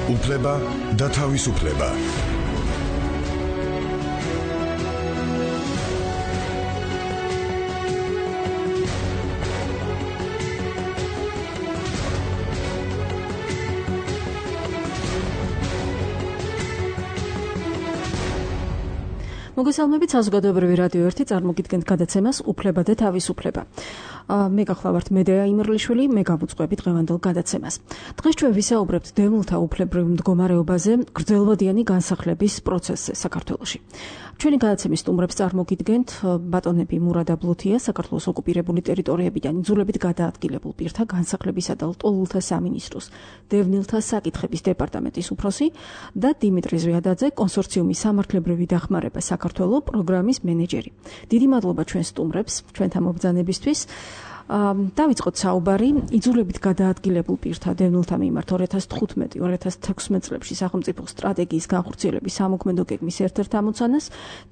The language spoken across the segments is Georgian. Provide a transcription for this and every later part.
უფლება და თავისუფლება. მოგესალმებით საზოგადოებრივი რადიო 1 წარმოგიდგენთ გადაცემას უფლება და თავისუფლება. მე გახლავართ მედეა იმერლიშვილი, მე გავუძღვები დღევანდელ გადაცემას. დღეს ჩვენ ვისაუბრებთ დევნილთა უფლებრივ მდგომარეობაზე, გრძელვადიანი განსახლების პროცესზე საქართველოში. ჩვენი გადაცემის სტუმრებს წარმოგიდგენთ ბატონები მურადა ბლუთია, საქართველოს ოკუპირებული ტერიტორიებიდან იძულებით გადაადგილებულ პირთა განსახლებისა და ლტოლვილთა სამინისტროს დევნილთა საკითხების დეპარტამენტის უფროსი და დიმიტრი ზვიადაძე, კონსორციუმის სამართლებრივი დახმარება საქართველოს პროგრამის მენეჯერი. დიდი მადლობა ჩვენ სტუმრებს, ჩვენთან მობრძანებისთვის. დავიწყოთ საუბარი იძულებით გადაადგილებულ პირთა დევნილთა მიმართ 2015-2016 წლებში სახელმწიფო სტრატეგიის განხორციელების სამოქმედო გეგმის ერთ-ერთ ამოცანას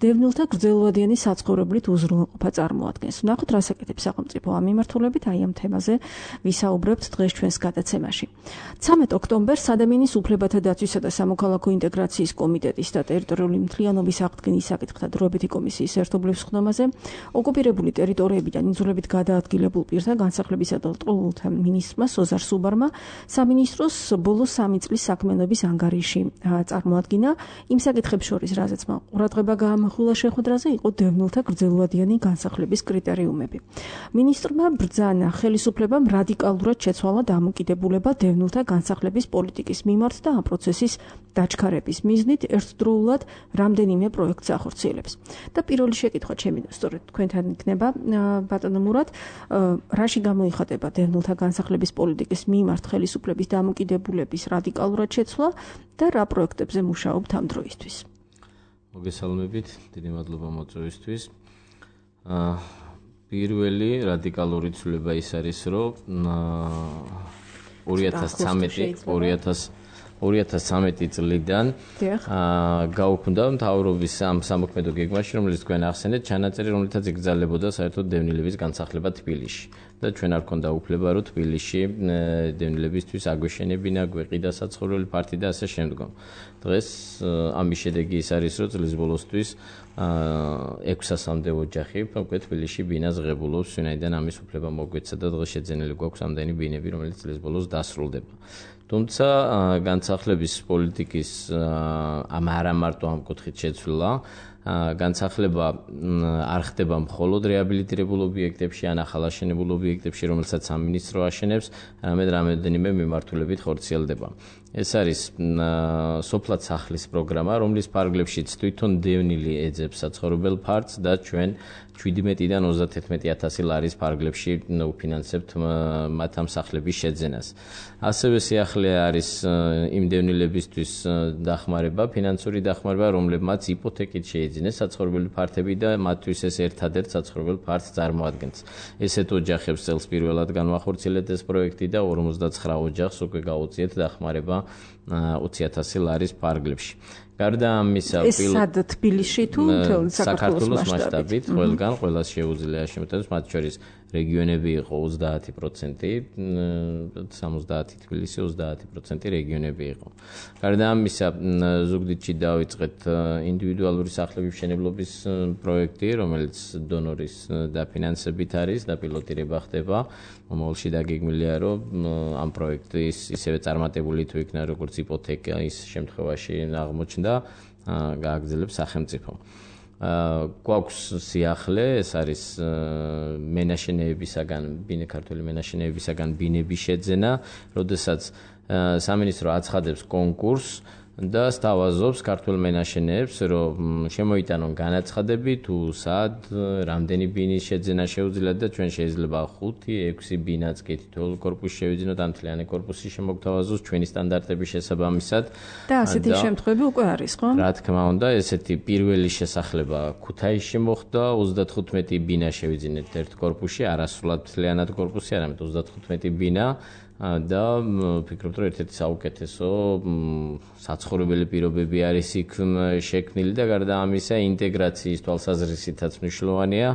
დევნილთა გრძელვადიანი საცხოვრებლით უზრუნველყოფა წარმოადგენს. ვნახოთ, რას აკეთებს სახელმწიფო ამ მიმართულებით, აი ამ თემაზე ვისაუბრებთ დღეს ჩვენს გადაცემაში. 13 ოქტომბერს ადამიანის უფლებათა დაცვისა და სამოქალაქო ინტეგრაციის კომიტეტის და ტერიტორიული მთლიანობის აღდგენის საკითხთა დროებითი კომისიის ერთობლივ სხდომაზე ოკუპირებული ტერიტორიებიდან იძულებით გადაადგილებულ პირთა განსახლებისა და ლტოლვილთა მინისტრმა სოზარ სუბარმა სამინისტროს ბოლო 3 წლის საქმიანობის ანგარიში წარმოადგინა. იმ საკითხებს შორის, რაზეც მან ყურადღება გაამახვილა შეხვედრაზე, იყო დევნილთა გრძელვადიანი განსახლების კრიტერიუმები. მინისტრმა ბრძანა ხელისუფლებამ რადიკალურად შეცვალა დამოკიდებულება დევნილთა განსახლების პოლიტიკის მიმართ და ამ პროცესის დაჩქარების მიზნით ერთდროულად რამდენიმე პროექტს ახორციელებს. და პირველი შეკითხვა ჩემი სწორედ თქვენთან იქნება, ბატონო მურად, რაში გამოიხატება დევნილთა განსახლების პოლიტიკის მიმართ ხელისუფლების დამოკიდებულების რადიკალურად შეცვლა და რა პროექტებზე მუშაობთ ამ დროისთვის? მოგესალმებით, დიდი მადლობა მოწვევისთვის. პირველი რადიკალური ცვლილება ის არის, რომ 2013 წლიდან გაუქმდა მთავრობის ამ სამოქმედო გეგმაში, რომელიც თქვენ ახსენეთ, ჩანაწერი, რომელთაც იგრძელებოდა საერთოდ დევნილების განსახლება თბილისში. და ჩვენ არ ქონდა უფლება, რომ თბილისში დევნილებისთვის აგვეშენებინა, გვეყიდა საცხოვრებელი ფართი და ასე შემდგომ. დღეს ამის შედეგი ის არის, რომ წლის ბოლოსთვის 600-მდე ოჯახი უკვე თბილისში ბინას ღებულობს, ვინაიდან ამის უფლება მოგვეცა და დღეს შეძენილი გვაქვს ამდენი ბინები, რომელიც წლის ბოლოს დასრულდება. თუმცა განსახლების პოლიტიკის არა მარტო ამ კუთხით შეცვლა, განსახლება არ ხდება მხოლოდ რეაბილიტირებულ ობიექტებში ან ახალაშენებულ ობიექტებში, რომელსაც სამინისტრო აშენებს, არამედ რამდენიმე მიმართულებით ხორციელდება. ეს არის სოფლად სახლის პროგრამა, რომლის ფარგლებშიც თვითონ დევნილი ეძებს საცხოვრებელ ფართს და ჩვენ 17-დან 31,000 ლარის ფარგლებში უფინანსებთ მათ ამ სახლების შეძენას. ასევე სიახლე არის იმ დევნილებისთვის დახმარება, ფინანსური დახმარება, რომლებმაც იპოთეკით შეიძინეს საცხოვრებელი ფართები და მათთვის ეს ერთადერთ საცხოვრებელ ფართს წარმოადგენს. ესეთ ოჯახებს წელს პირველად განვახორციელეთ ეს პროექტი და 59 ოჯახს უკვე გაუწიეთ დახმარება 20,000 ლარის ფარგლებში. გარდა ამისა, სად თბილისში თუ მთელ საქართველოს მასშტაბით, ყველგან ყველას შეუძლია შემოთავაზოს, მათ შორის რეგიონები იყო 30%, 70 თბილისი, 30% რეგიონები იყო. გარდა ამისა, ზუგდიდში დავიწყეთ ინდივიდუალური სახლების მშენებლობის პროექტი, რომელიც დონორის დაფინანსებით არის და პილოტირება ხდება. მომავალში დაგეგმილია, რომ ამ პროექტის ისევე წარმატებული თუ იქნა როგორც იპოთეკა ის შემთხვევაში აღმოჩნდა, გააგრძელებს სახელმწიფო. გვაქვს სიახლე, ეს არის მენაშენეებისაგან, ქართული მენაშენეებისაგან ბინების შეძენა, როდესაც სამინისტრო აცხადებს კონკურსს და სთავაზობს ქართულ მენაშენეებს, რომ შემოიტანონ განაცხადები თუ სად, რამდენი ბინის შეძენა შეუძლიათ და ჩვენ შეიძლება 5-6 ბინაც კი თითოეულ კორპუსში შევიძინოთ, ამ მთლიანი კორპუსი შემოგთავაზოს ჩვენი სტანდარტების შესაბამისად. და ასეთი შემთხვევები უკვე არის, ხო? რა თქმა უნდა, ესეთი პირველი შესახლება ქუთაისში მოხდა, 35 ბინა შევიძინეთ ერთ კორპუსში, არასრულად მთლიანად კორპუსი, არამედ 35 ბინა. და ვფიქრობ, რომ ერთ-ერთი საუკეთესო საცხოვრებელი პირობები არის იქ შექმნილი და გარდა ამისა ინტეგრაციის თვალსაზრისითაც მნიშვნელოვანია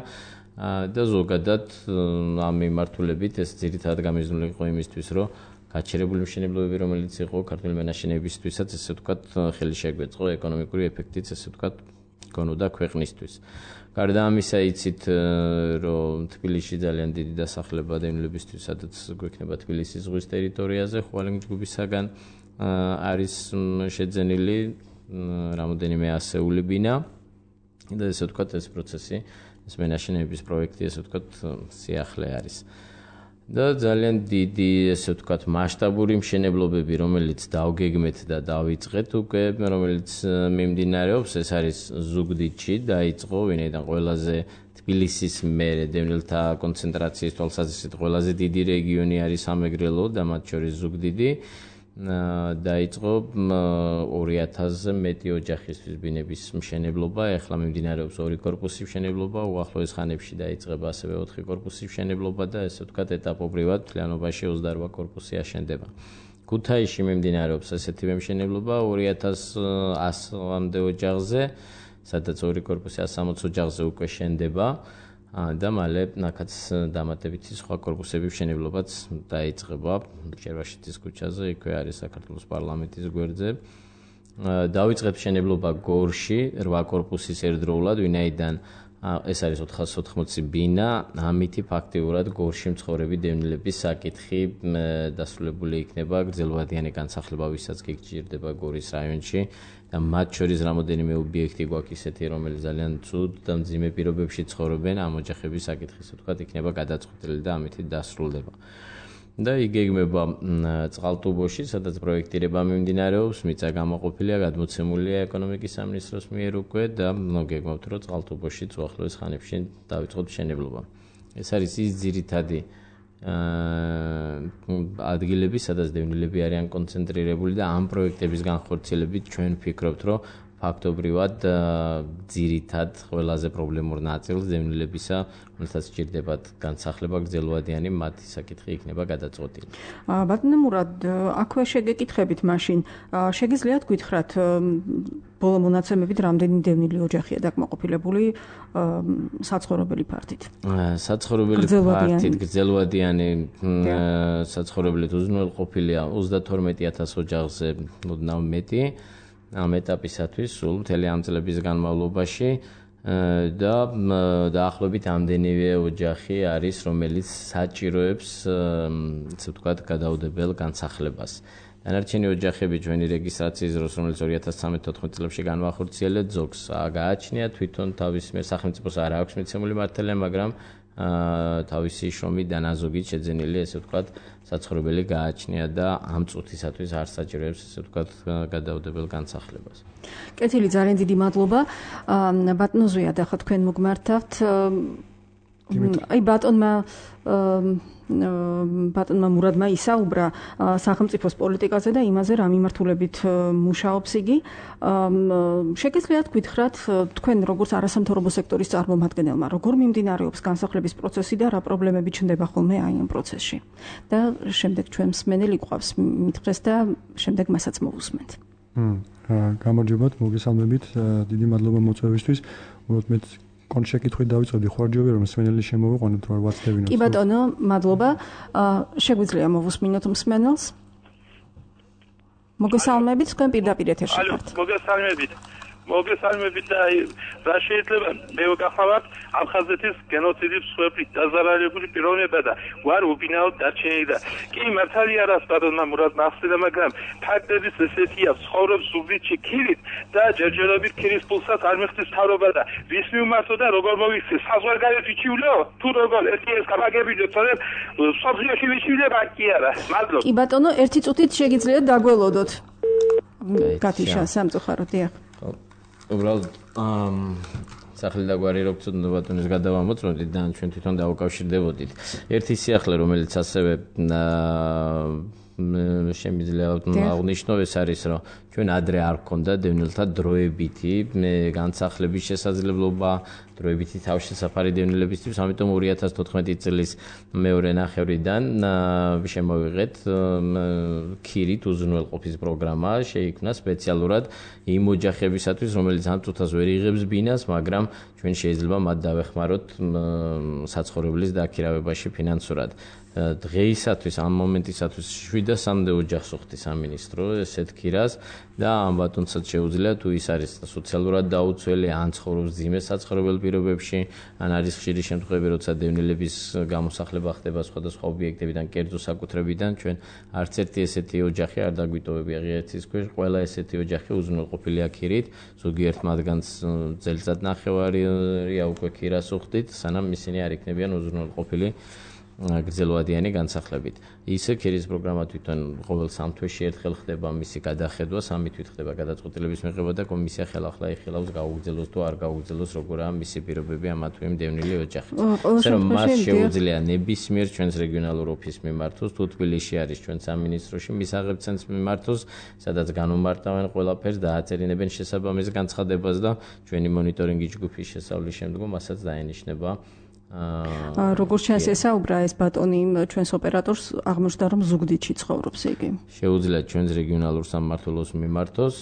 და ზოგადად ამ მიმართულებით ეს ძირითადად გამიზნული იყო იმისთვის, რომ გაჩერებული მშენებლობები, რომელიც იყო ქართული მენაშენეებისთვისაც, ესე ვთქვათ, ხელი შეგვეწყო ეკონომიკური ეფექტიც, ესე ვთქვათ, გონოდა ქვეყნისთვის. გარდა ამისა, იცით, რომ თბილისში ძალიან დიდი დასახლება დევნილებისთვის, სადაც გვექნება თბილისის ზღვის ტერიტორიაზე, ხვალინგ ჯგუფისაგან არის შეძენილი რამოდენიმე ასეული ბინა და ესე ვთქვათ, ეს პროცესი, ეს მენაშენეების პროექტი, ესე ვთქვათ, სიახლე არის. და ძალიან დიდი, ესე ვთქვათ, მასშტაბური მშენებლობები, რომელიც დავგეგმეთ და დავიწყეთ უკვე, რომელიც მიმდინარეობს, ეს არის ზუგდიდში, დაიწყო, ვინაიდან ყველაზე თბილისის მერე დევნილთა კონცენტრაციის თვალსაზრისით ყველაზე დიდი რეგიონი არის სამეგრელო და მათ შორის ზუგდიდი. დაიწყო 2000-ზე მეტი ოჯახისთვის ბინების მშენებლობა, ეხლა მიმდინარეობს 2 კორპუსის მშენებლობა, უახლოეს ხანებში დაიწყება ასევე 4 კორპუსის მშენებლობა და ესე ვთქვათ, ეტაპობრივად მთლიანობაში 28 კორპუსი აშენდება. ქუთაისში მიმდინარეობს ესეთივე მშენებლობა 2100-მდე ოჯახზე, სადაც 2 კორპუსი 160 ოჯახზე უკვე შენდება. და მალე ნახაც დამატებითი სხვა კორპუსების მშენებლობაც დაიწყება ჭერვაშიძის ქუჩაზე, იქვე არის საქართველოს პარლამენტის გვერდზე. დავიწყეთ მშენებლობა გორში 8 კორპუსის ერთდროულად, ვინაიდან ეს არის 480 ბინა, ამითი ფაქტიურად გორში მცხოვრები დევნილების საკითხი დასრულებული იქნება, გრძელვადიანი განსახლება ვისაც კი გჭირდება გორის რაიონში. და მათ შორის რამოდენიმე ობიექტი გვაქვს ისეთი, რომელიც ძალიან ცუდ და მძიმე პირობებში ცხოვრობენ, ამ ოჯახების საკითხი, ასე ვთქვათ, იქნება გადაწყვეტილი და ამით დასრულდება. და იგეგმება წყალტუბოში, სადაც პროექტირება მიმდინარეობს, მიწა გამოყოფილია, გადმოცემულია ეკონომიკის სამინისტროს მიერ უკვე და გეგმავთ, რომ წყალტუბოშიც უახლოეს ხანებში დავიწყოთ მშენებლობა. ეს არის ის ძირითადი ადგილები, სადაც დევნილები არიან კონცენტრირებული და ამ პროექტების განხორციელებით ჩვენ ვფიქრობთ, რომ ფაქტობრივად ძირითად ყველაზე პრობლემურ ნაწილს დევნილებისა, რომელსაც სჭირდებათ განსახლება გრძელვადიანი, მათი საკითხი იქნება გადაწყვეტილი. ბატონო მურად, აქვე შეგეკითხებით მაშინ, შეგიძლიათ გითხრათ ბოლო მონაცემებით რამდენი დევნილი ოჯახია დაკმაყოფილებული საცხოვრებელი ფართით? საცხოვრებელი ფართით გრძელვადიანი საცხოვრებლით უზრუნველყოფილია 32000 ოჯახზე ოდნავ მეტი. ამ ეტაპისათვის სულ მთელი ამ წლების განმავლობაში და დაახლოებით ამდენივე ოჯახი არის, რომელიც საჭიროებს, ასე ვთქვათ, გადაუდებელ განსახლებას. დანარჩენი ოჯახები ჩვენი რეგისტრაციის დროს, რომელიც 2013-14 წლებში განვახორციელეთ, ზოგს გააჩნია თვითონ თავის მიერ სახელმწიფოს არ აქვს მიცემული მართლია, მაგრამ თავისი შრომით და ნაზოგით შეძენილი, ესე ვთქვათ, საცხოვრებელი გააჩნია და ამ წუთისათვის არ საჭიროებს, ესე ვთქვათ, გადაუდებელ განსახლებას. კეთილი, ძალიან დიდი მადლობა. ბატონო ზვიად, ახლა თქვენ მოგმართავთ. აი ბატონმა მურადმა ისაუბრა სახელმწიფოს პოლიტიკაზე და იმაზე, რა მიმართულებით მუშაობს იგი. შეგიძლიათ გითხრათ, თქვენ როგორც არასამთავრობო სექტორის წარმომადგენელმა, როგორ მიმდინარეობს განსახლების პროცესი და რა პრობლემები ჩნდება ხოლმე აი ამ პროცესში. და შემდეგ ჩვენ მსმენელი გვყავს მითხრეს და შემდეგ მასაც მოვუსმენთ. გამარჯობათ, მოგესალმებით. დიდი მადლობა მოწვევისთვის. უბრალოდ კონშეკითხვით დავიწყებდი ხوارჯობი რომ მსმენელი შემოვიყვანოთ რა ვაცდებინოთ. კი ბატონო, მადლობა. შეგვიძლია მოვუსმინოთ მსმენელს? მოგესალმებით, თქვენ პირდაპირ ეთერში ხართ. მოგესალმებით და რა შეიძლება მე ვგახავთ აფხაზეთის გენოციდის მსხვერპლი დაზარალებული პიროვნება და ვარ უბინაოდ დარჩენილი და კი მართალია რას ბატონმა მურადმა ახსნა, მაგრამ ფაქტების ესეთია, ცხოვრობს ზუგდიდში ქირით და ჯერჯერობით ქირის პულსაც არ მიხდის თავრობა და ვის მიუმართო და როგორ მოვიქცე საზღვარგარეთ ვიჩივლო თუ როგორ ერთი ეს გამაგებინო თორემ სოფლიოში ვიჩივლება კი არა. მადლობა. კი ბატონო, ერთი წუთით შეგიძლიათ დაგველოდოთ. გათიშა სამწუხაროდ დიახ. უბრალოდ სახლი და გვარი რო გწოდნო ბატონის გადავამოწმოთ და ჩვენ თვითონ დავუკავშირდებოდით. ერთი სიახლე, რომელიც ასევე შემიძლია აღნიშნო, ეს არის, რომ ჩვენ ადრე არ გქონდა დევნილთა დროებითი განსახლების შესაძლებლობა, დროებითი თავშესაფარი დევნილებისთვის, ამიტომ 2014 წლის მეორე ნახევრიდან შემოვიღეთ ქირით უზრუნველყოფის პროგრამა, შეიქმნა სპეციალურად იმ ოჯახებისათვის, რომელიც ამ წუთას ვერ იღებს ბინას, მაგრამ ჩვენ შეიძლება მათ დავეხმაროთ საცხოვრებლის დაქირავებაში ფინანსურად. დღეისათვის ამ მომენტისათვის 703 ოჯახს უხდი სამინისტრო ესეთ ქირას და ამ ბატონსაც შეუძლია თუ ის არის სოციალურად დაუცველი, ან ცხოვრობს ძიმე საცხოვრებელ პირობებში, ან არის ხშირი შემთხვევები, როცა დევნილების გამოსახლება ხდება სხვადასხვა ობიექტებიდან, კერძო საკუთრებიდან, ჩვენ არც ერთი ესეთი ოჯახი არ დაგვიტოვებია ღირსების ქვეშ, ყველა ესეთი ოჯახი უზრუნველყოფილია ქირით, ზოგიერთ მათგანს წელიწადნახევარია უკვე ქირას უხდით, სანამ ისინი არ იქნებიან უზრუნველყოფილი გრძელვადიანი განსახლებით. Ისე ქირის პროგრამა თვითონ ყოველ 3 თვეში ერთხელ ხდება მისი გადახედვა, 3 თვით ხდება გადაწყვეტილების მიღება და კომისია ხელახლა იხილავს გაუგრძელოს თუ არ გაუგრძელოს როგორაა მისი პირობები ამა თუ იმ დევნილი ოჯახის. ასე რომ მას შეუძლია ნებისმიერ ჩვენს რეგიონალურ ოფისს მიმართოს, თუ თბილისში არის ჩვენ სამინისტროში მისაღებ ცენტრს მიმართოს, სადაც განუმარტავენ ყველაფერს და აწერინებენ შესაბამის განცხადებას და ჩვენი მონიტორინგი ჯგუფის შესავლის შემდგომ მასაც დაენიშნება. როგორც ჩანს ესაუბრა ეს ბატონი ჩვენს ოპერატორს აღმოჩნდა რომ ზუგდიდში ცხოვრობს იგი. შეუძლია ჩვენს რეგიონალურ სამმართველოს მიმართოს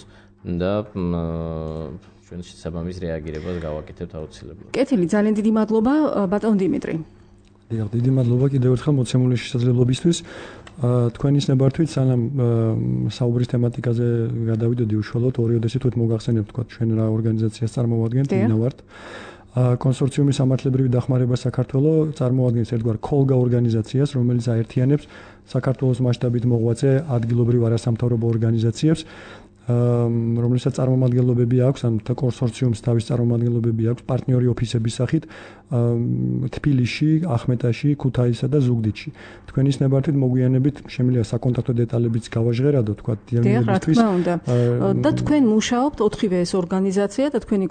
და ჩვენ შესაბამის რეაგირებას გავაკეთებთ აუცილებლად. კეთილი, ძალიან დიდი მადლობა ბატონ დიმიტრი. დიდი მადლობა კიდევ ერთხელ მოცემული შესაძლებლობისთვის. თქვენის ნებართვით სანამ საუბრის თემატიკაზე გადავიდოდი უშუალოდ ორი ოდესი თუ მოგახსენებთ თქვა ჩვენ რა ორგანიზაციას წარმოვადგენთ, ვინა ვართ. კონსორციუმის სამართლებრივი დახმარება საქართველოს წარმოადგენს ერთგვარ კოლგა ორგანიზაციას, რომელიც აერთიანებს საქართველოს მასშტაბით მოღვაწე ადგილობრივ არასამთავრობო ორგანიზაციებს, რომელსაც წარმომადგენლობები აქვს, ან კონსორციუმს თავის წარმომადგენლობები აქვს პარტნიორი ოფისების სახით თბილისში, ახმეტაში, ქუთაისსა და ზუგდიდში. თქვენის ნებართვით მოგვიანებით შემიძლია საკონტაქტო დეტალებიც გავაჟღერადო, თქვა დიაგნოზისთვის. და თქვენ მუშაობთ 4-ვე ეს ორგანიზაცია და თქვენი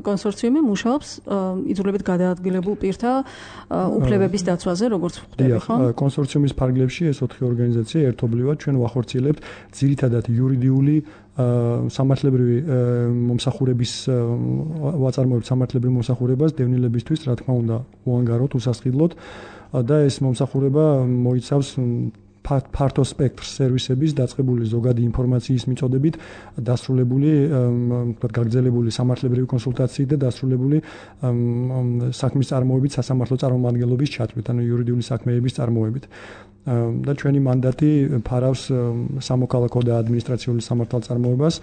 კონსორციუმი მუშაობს იძულებით გადაადგილებულ პირთა უფლებების დაცვაზე, როგორც ხვდები, ხო? კონსორციუმის ფარგლებში ეს 4 ორგანიზაცია ერთობლივად ჩვენ ვახორციელებთ ძირითადად იურიდიული სამართლებრივი მომსახურების ვაწარმოებთ სამართლებრივ მომსახურებას დევნილებისთვის, რა თქმა უნდა, უანგაროდ, უსასყიდლოდ და ეს მომსახურება მოიცავს ფართო სპექტრს სერვისების დაწყებული ზოგადი ინფორმაციის მიწოდებით, დასრულებული, თქვათ, გაგრძელებული სამართლებრივი კონსულტაციით და დასრულებული საქმის წარმოებით, სასამართლო წარმომადგენლობის ჩათვლით, ანუ იურიდიული საქმეების წარმოებით. და ჩვენი მანდატი ფარავს სამოქალაქო და ადმინისტრაციული სამართალწარმოებას.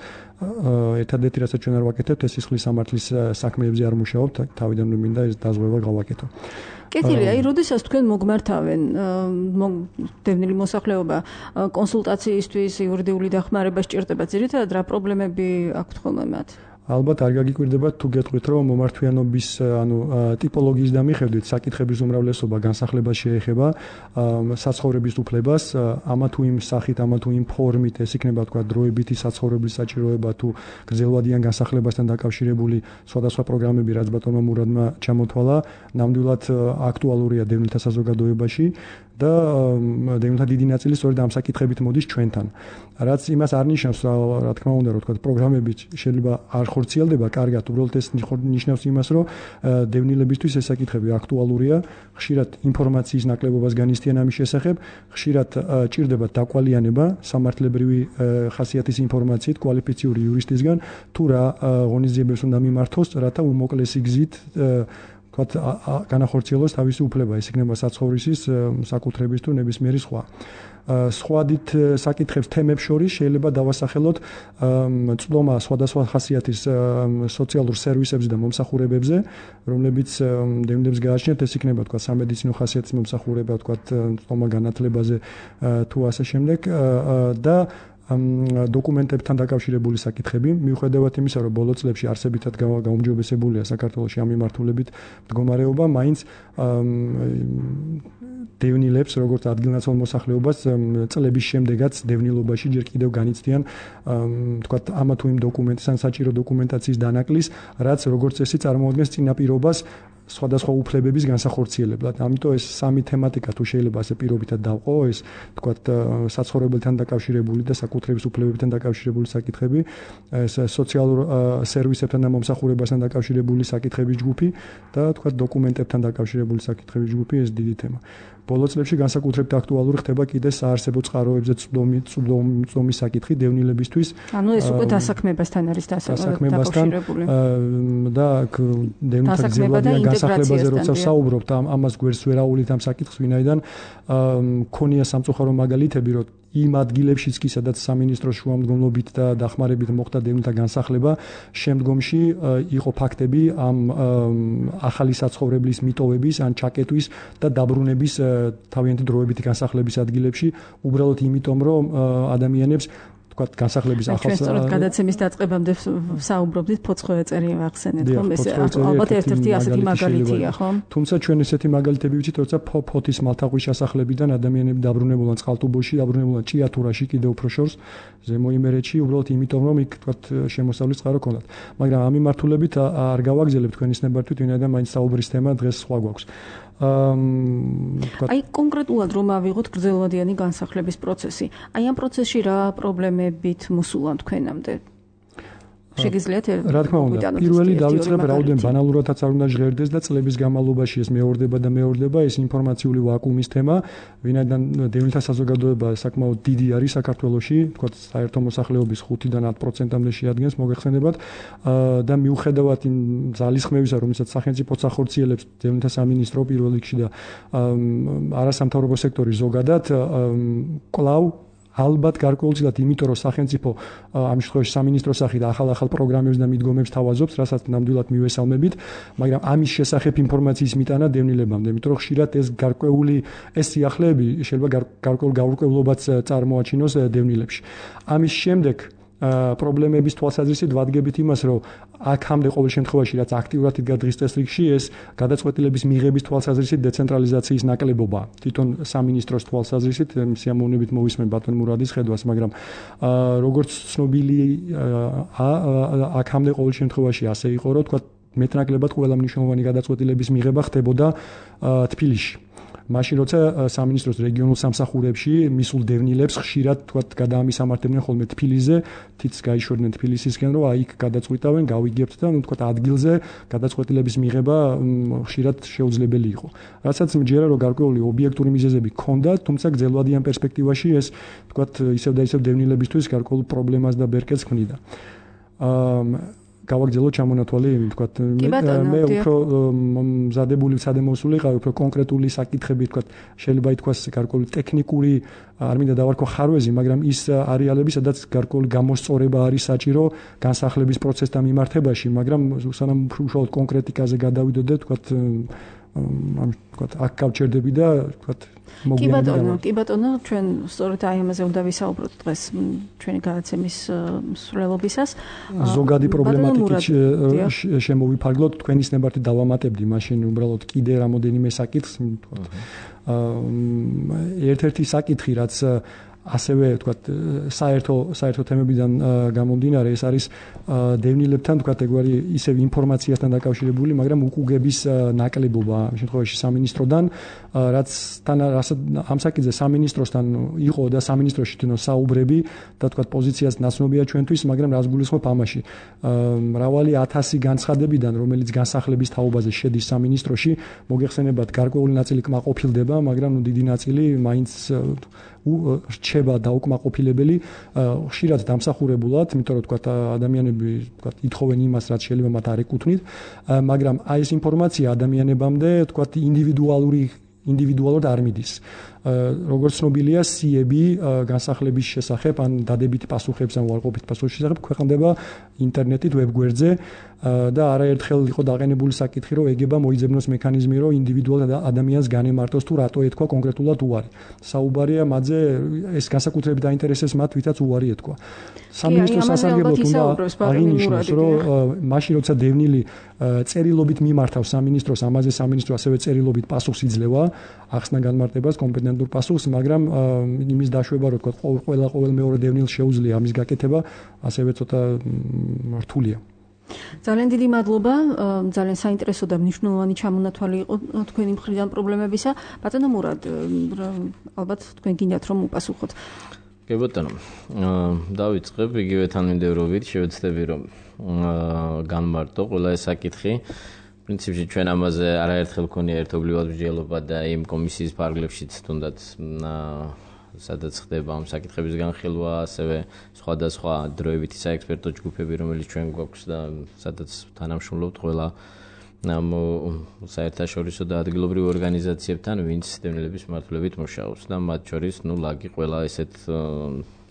ერთადერთი რასაც ჩვენ არ ვაკეთებთ, ეს სისხლის სამართლის საქმეებზე არ მუშაობთ, თავიდან მინდა ეს დაზღვევა გავაკეთო. კეთილი, აი, როდესაც თქვენ მოგმართავენ დევნილი მოსახლეობა კონსულტაციისთვის, იურიდიული დახმარება სჭირდება, ძირითადად რა პრობლემები აქვთ ხოლმე მათ? ალბათ არ გაგიკვირდებათ თუ გეტყვით რომ მომართვიანობის ტიპოლოგიის და მიხედვით საკითხების უმრავლესობა განსახლებას შეეხება საცხოვრების უფლებას, ამა თუ იმ სახით, ამა თუ იმ ფორმით, ეს იქნება თქვა დროებითი საცხოვრების საჭიროება თუ გრძელვადიან განსახლებასთან დაკავშირებული სხვადასხვა პროგრამები, რაც ბატონმა მურადმა ჩამოთვალა, ნამდვილად აქტუალურია დევნილთა საზოგადოებაში და დევნილთა დიდი ნაწილი სწორედ ამ საკითხებით მოდის ჩვენთან. რაც იმას არ ნიშნავს, რა თქმა უნდა, რომ თქვა პროგრამები შეიძლება არ ხორციელდება კარგად, უბრალოდ ეს ნიშნავს იმას, რომ დევნილებისთვის ეს საკითხები აქტუალურია, ხშირად ინფორმაციის ნაკლებობას განიცდიან ამის შესახებ, ხშირად ჭირდება დაკვალიანება სამართლებრივი ხასიათის ინფორმაციით კვალიფიციური იურისტისგან, თუ რა ღონისძიებებს უნდა მიმართოს, რათა უმოკლესი გზით განახორციელოს თავისი უფლება, ეს იქნება საცხოვრისის, საკუთრების თუ ნებისმიერი სხვა. სხვადით საკითხებს თემებს შორის შეიძლება დავასახელოთ წვდომა სხვადასხვა ხასიათის სოციალურ სერვისებზე და მომსახურებებზე, რომლებიც დევნილებს გააჩნიათ, ეს იქნება თქვა სამედიცინო ხასიათის მომსახურება, თქვა წვდომა განათლებაზე თუ ასე შემდეგ და დოკუმენტებთან დაკავშირებული საკითხები, მიუხედავად იმისა, რომ ბოლო წლებში არსებითად გაუმჯობესებულია საქართველოში ამ მიმართულებით მდგომარეობა, მაინც დევნილებს, როგორც ადგილნაცვალ მოსახლეობას, წლების შემდეგაც დევნილობაში ჯერ კიდევ განიცდიან, თქვათ, ამა თუ იმ დოკუმენტის ან საჭირო დოკუმენტაციის დანაკლის, რაც როგორც წესი წარმოადგენს წინაპირობას სხვადასხვა უფლებების განსახორციელებლად. ამიტომ ეს სამი თემატიკა თუ შეიძლება ასე პირობითად დავყო, ეს თქვათ საცხოვრებელთან დაკავშირებული და საკუთრების უფლებებთან დაკავშირებული საკითხები, ეს სოციალურ სერვისებთან და მომსახურებასთან დაკავშირებული საკითხების ჯგუფი და თქვათ დოკუმენტებთან დაკავშირებული საკითხების ჯგუფი, ეს დიდი თემა. ბოლო წლებში განსაკუთრებით აქტუალური ხდება კიდე საარსებო წყაროებზე წვდომის საკითხი დევნილებისთვის. ანუ ეს უკვე დასაქმებასთან არის დაკავშირებული. და დევნილთა გზებადიან განსახლებაზე როცა საუბრობთ, ამას გვერდს ვერ აუვლით ამ საკითხს, ვინაიდან მქონია სამწუხარო მაგალითები, რომ იმ ადგილებშიც კი სადაც სამინისტროს შუამდგომლობით და დახმარებით მოხდა დევნილთა განსახლება, შემდგომში იყო ფაქტები ამ ახალი საცხოვრებლის მიტოვების ან ჩაკეტვის და დაბრუნების თავიანთი დროებითი განსახლების ადგილებში, უბრალოდ იმიტომ, რომ ადამიანებს თქვათ განსახლების ახალ სწორად გადაცემის დაწყებამდე საუბრობდით ფოცხოვე წერი ახსენეთ, ხომ? ეს ალბათ ერთ-ერთი ასეთი მაგალითია, ხომ? თუმცა ჩვენ ესეთი მაგალითები ვიცით, როცა ფოთის მალთაყვის შესახლებიდან ადამიანები დაბრუნებულან წყალტუბოში, დაბრუნებულან ჭიათურაში, კიდევ უფრო შორს, ზემო იმერეთში, უბრალოდ იმიტომ, რომ იქ თქვათ შემოსავლის წყარო ქონდათ. მაგრამ ამ მიმართულებით არ გავაგზავნებ თქვენის ნებართვით, ვინაიდან მაინც საუბრის თემა დღეს სხვა გვაქვს. აი კონკრეტულად რომ ავიღოთ გრძელვადიანი განსახლების პროცესი. აი ამ პროცესში რა პრობლემებით მოსულა თქვენამდე? შეგიძლიათ რა თქმა უნდა, პირველი დავიწყებ რაოდენ ბანალურადაც არ უნდა ჟღერდეს და წლების განმავლობაში ეს მეორდება ეს ინფორმაციული ვაკუუმის თემა, ვინაიდან დევნილთა საზოგადოება საკმაოდ დიდი არის საქართველოში, თქვათ საერთო მოსახლეობის 5-დან 10%-მდე შეადგენს მოგეხსენებათ და მიუხედავად იმ ძალისხმევისა, რომელსაც სახელმწიფოც ახორციელებს დევნილთა სამინისტრო პირველ რიგში და არასამთავრობო სექტორი ზოგადად კვლავ ალბათ გარკვეულწილად იმიტომ რომ სახელმწიფო ამ შემთხვევაში სამინისტროს სახით ახალ პროგრამებს და მიდგომებს თავაზობს, რასაც ნამდვილად მივესალმებით, მაგრამ ამის შესახებ ინფორმაციის მიტანა დევნილებამდე, იმიტომ რომ ხშირად ეს გარკვეული ეს სიახლეები შეიძლება გარკვეულ გაურკვევლობაც წარმოაჩინოს დევნილებში. ამის შემდეგ პრობლემების თვალსაზრისით ვადგებით იმას, რომ აქამდე ყოველ შემთხვევაში რაც აქტიურად იდგა დღის წესრიგში, ეს გადაწყვეტილების მიღების თვალსაზრისით დეცენტრალიზაციის ნაკლებობა. თვითონ სამინისტროს თვალსაზრისით სიამოვნებით მოვისმენ ბატონ მურადის ხედვას, მაგრამ როგორც ცნობილი აქამდე ყოველ შემთხვევაში ასე იყო, რომ თქვა მეტნაკლებად ყველა მნიშვნელოვანი გადაწყვეტილების მიღება ხდებოდა თბილისში. მაშინ როცა სამინისტროს რეგიონულ სამსახურებში მისულ დევნილებს ხშირად თქვათ გადაამისამართებდნენ ხოლმე თბილისზე, თიც გაიშვერდნენ თბილისისკენ, რომ აი იქ გადაწყვიტავენ, გავიგებთ და ნუ თქვათ ადგილზე გადაწყვეტილების მიღება ხშირად შეუძლებელი იყო. რასაც მჯერა რომ გარკვეული ობიექტური მიზეზები ჰქონდა, თუმცა გრძელვადიან პერსპექტივაში ეს თქვათ ისევ და ისევ დევნილებისთვის გარკვეულ პრობლემას და ბერკეტს ქმნიდა. გავაგზავნო ჩამონათვალი, თქვათ მე უფრო მზადებული სადემოსული ყავი, უფრო კონკრეტული საკითხები, თქვათ შეიძლება ითქვას გარკვეული ტექნიკური, არ მინდა დავარქვა ხარვეზი, მაგრამ ის არეალები, სადაც გარკვეული გამოსწორება არის საჭირო განსახლების პროცესთან მიმართებაში, მაგრამ სანამ უშუალოდ კონკრეტიკაზე გადავიდოდე, თქვათ აქ გავჩერდები და თქვათ კი ბატონო, ჩვენ სწორედ აი ამაზე უნდა ვისაუბროთ დღეს ჩვენი გადაცემის მსვლელობისას. ზოგადი პრობლემატიკით შემოვიფარგლოთ, თქვენის ნებართვით დავამატებდი მაშინ უბრალოდ კიდე რამოდენიმე საკითხს, თქვათ ერთ-ერთი საკითხი, რაც ასევე თქვათ საერთო თემებიდან გამომდინარე, ეს არის დევნილებთან თქვათ ეგwari ისევ ინფორმაციასთან დაკავშირებული, მაგრამ უკუგების ნაკლებობა ამ შემთხვევაში სამინისტროდან, რაც ამ საკითხზე სამინისტროსთან იყო და სამინისტროში თვითონ საუბრები და თქვათ პოზიციას ნაცნობია ჩვენთვის, მაგრამ რას გულისხმობ ამაში? მრავალი 1000 განცხადებიდან, რომელიც განსახლების თაობაზე შედის სამინისტროში, მოგეხსენებათ გარკვეული ნაწილი კმაყოფილდება, მაგრამ დიდი ნაწილი მაინც რჩება დაუკმაყოფილებელი, ხშირად დამსახურებულად, იმიტომ რომ თქვათ ადამიანები თქვათ ითხოვენ იმას, რაც შეიძლება მათ არ ეკუთვნით, მაგრამ აი ეს ინფორმაცია ადამიანებამდე თქვათ ინდივიდუალურად არ მიდის. როგორც ცნობილია, სიები განსახლების შესახებ ან დადებითი პასუხებს ან უარყოფით პასუხების შესახებ ქვეყნდება ინტერნეტით, ვებგვერდზე და არაერთხელ იყო დაყენებული საკითხი, რომ ეგება მოიძებნოს მექანიზმი, რომ ინდივიდუალ ადამიანს განემარტოს თუ რატო ეთქვა კონკრეტულად უარი. საუბარია მათზე, ეს განსაკუთრებით დაინტერესებს მათ, ვისაც უარი ეთქვა. სამინისტრო სასარგებლოდ უნდა აღინიშნოს, რომ მაშინ როცა დევნილი წერილობით მიმართავს სამინისტროს, ამაზე სამინისტრო ასევე წერილობით პასუხს იძლევა, ახსნა განმარტებას კომპეტენტურ პასუხს, მაგრამ იმის დაშვება, რომ თქვა ყოველ მეორე დევნილს შეუძლია ამის გაკეთება, ასევე ცოტა რთულია. ძალიან დიდი მადლობა, ძალიან საინტერესო და მნიშვნელოვანი ჩამონათვალი იყო თქვენი მხრიდან პრობლემებისა. ბატონო მურად, ალბათ თქვენ გინდათ რომ უპასუხოთ. კი ბატონო, დავიწყებ იგივე თანმიმდევრობით, შევეცდები რომ განმარტო ყველა ეს საკითხი. პრინციპში ჩვენ ამაზე არაერთხელ გქონია ერთობლივად მსჯელობა და იმ კომისიის ფარგლებშიც თუნდაც სადაც ხდება ამ საკითხების განხილვა, ასევე სხვადასხვა დროებითი საექსპერტო ჯგუფები, რომელიც ჩვენ გვაქვს და სადაც თანამშრომლობთ ყველა საერთაშორისო და ადგილობრივ ორგანიზაციებთან, ვინც დევნილების მმართველობით მუშაობს და მათ შორის, ლაგი ყველა ესეთ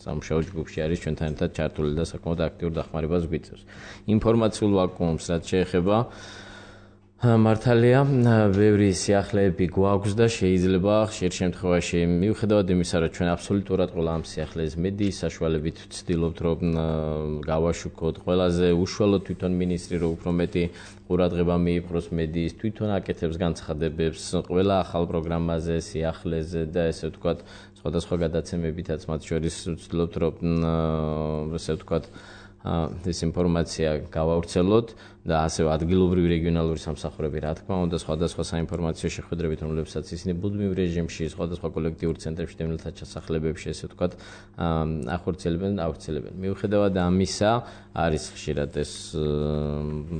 სამუშაო ჯგუფში არის ჩვენთან ერთად ჩართული და საკმაოდ აქტიურ დახმარებას გვიწევს. ინფორმაციულ ვაკუუმს რაც შეეხება მართალია, ბევრი სიახლეები გვაქვს და შეიძლება ხშირ შემთხვევაში მიუხედავად იმისა, რომ ჩვენ აბსოლუტურად ყველა ამ სიახლეებს მედიის საშუალებით ვცდილობთ, რომ გავაშუქოთ, ყველაზე უშუალოდ თვითონ მინისტრი რო უფრო მეტი ყურადღება მიიპყროს მედიის, თვითონ აკეთებს განცხადებებს ყველა ახალ პროგრამაზე, სიახლეზე და ესე ვთქვათ, სხვადასხვა გადაცემებითაც მათ შორის ვცდილობთ, რომ ესე ვთქვათ ეს ინფორმაცია გავავრცელოთ და ასევე ადგილობრივი რეგიონალური სამსახურები, რა თქმა უნდა, სხვადასხვა საინფორმაციო შეხვედრებით, რომლებსაც ისინი ბუდმივ რეჟიმში, სხვადასხვა კოლექტიურ ცენტრებში, დევნილთა ჩასახლებებში, ესე ვთქვათ, ახორციელებენ. მიუხედავად ამისა, არის ხშირად ეს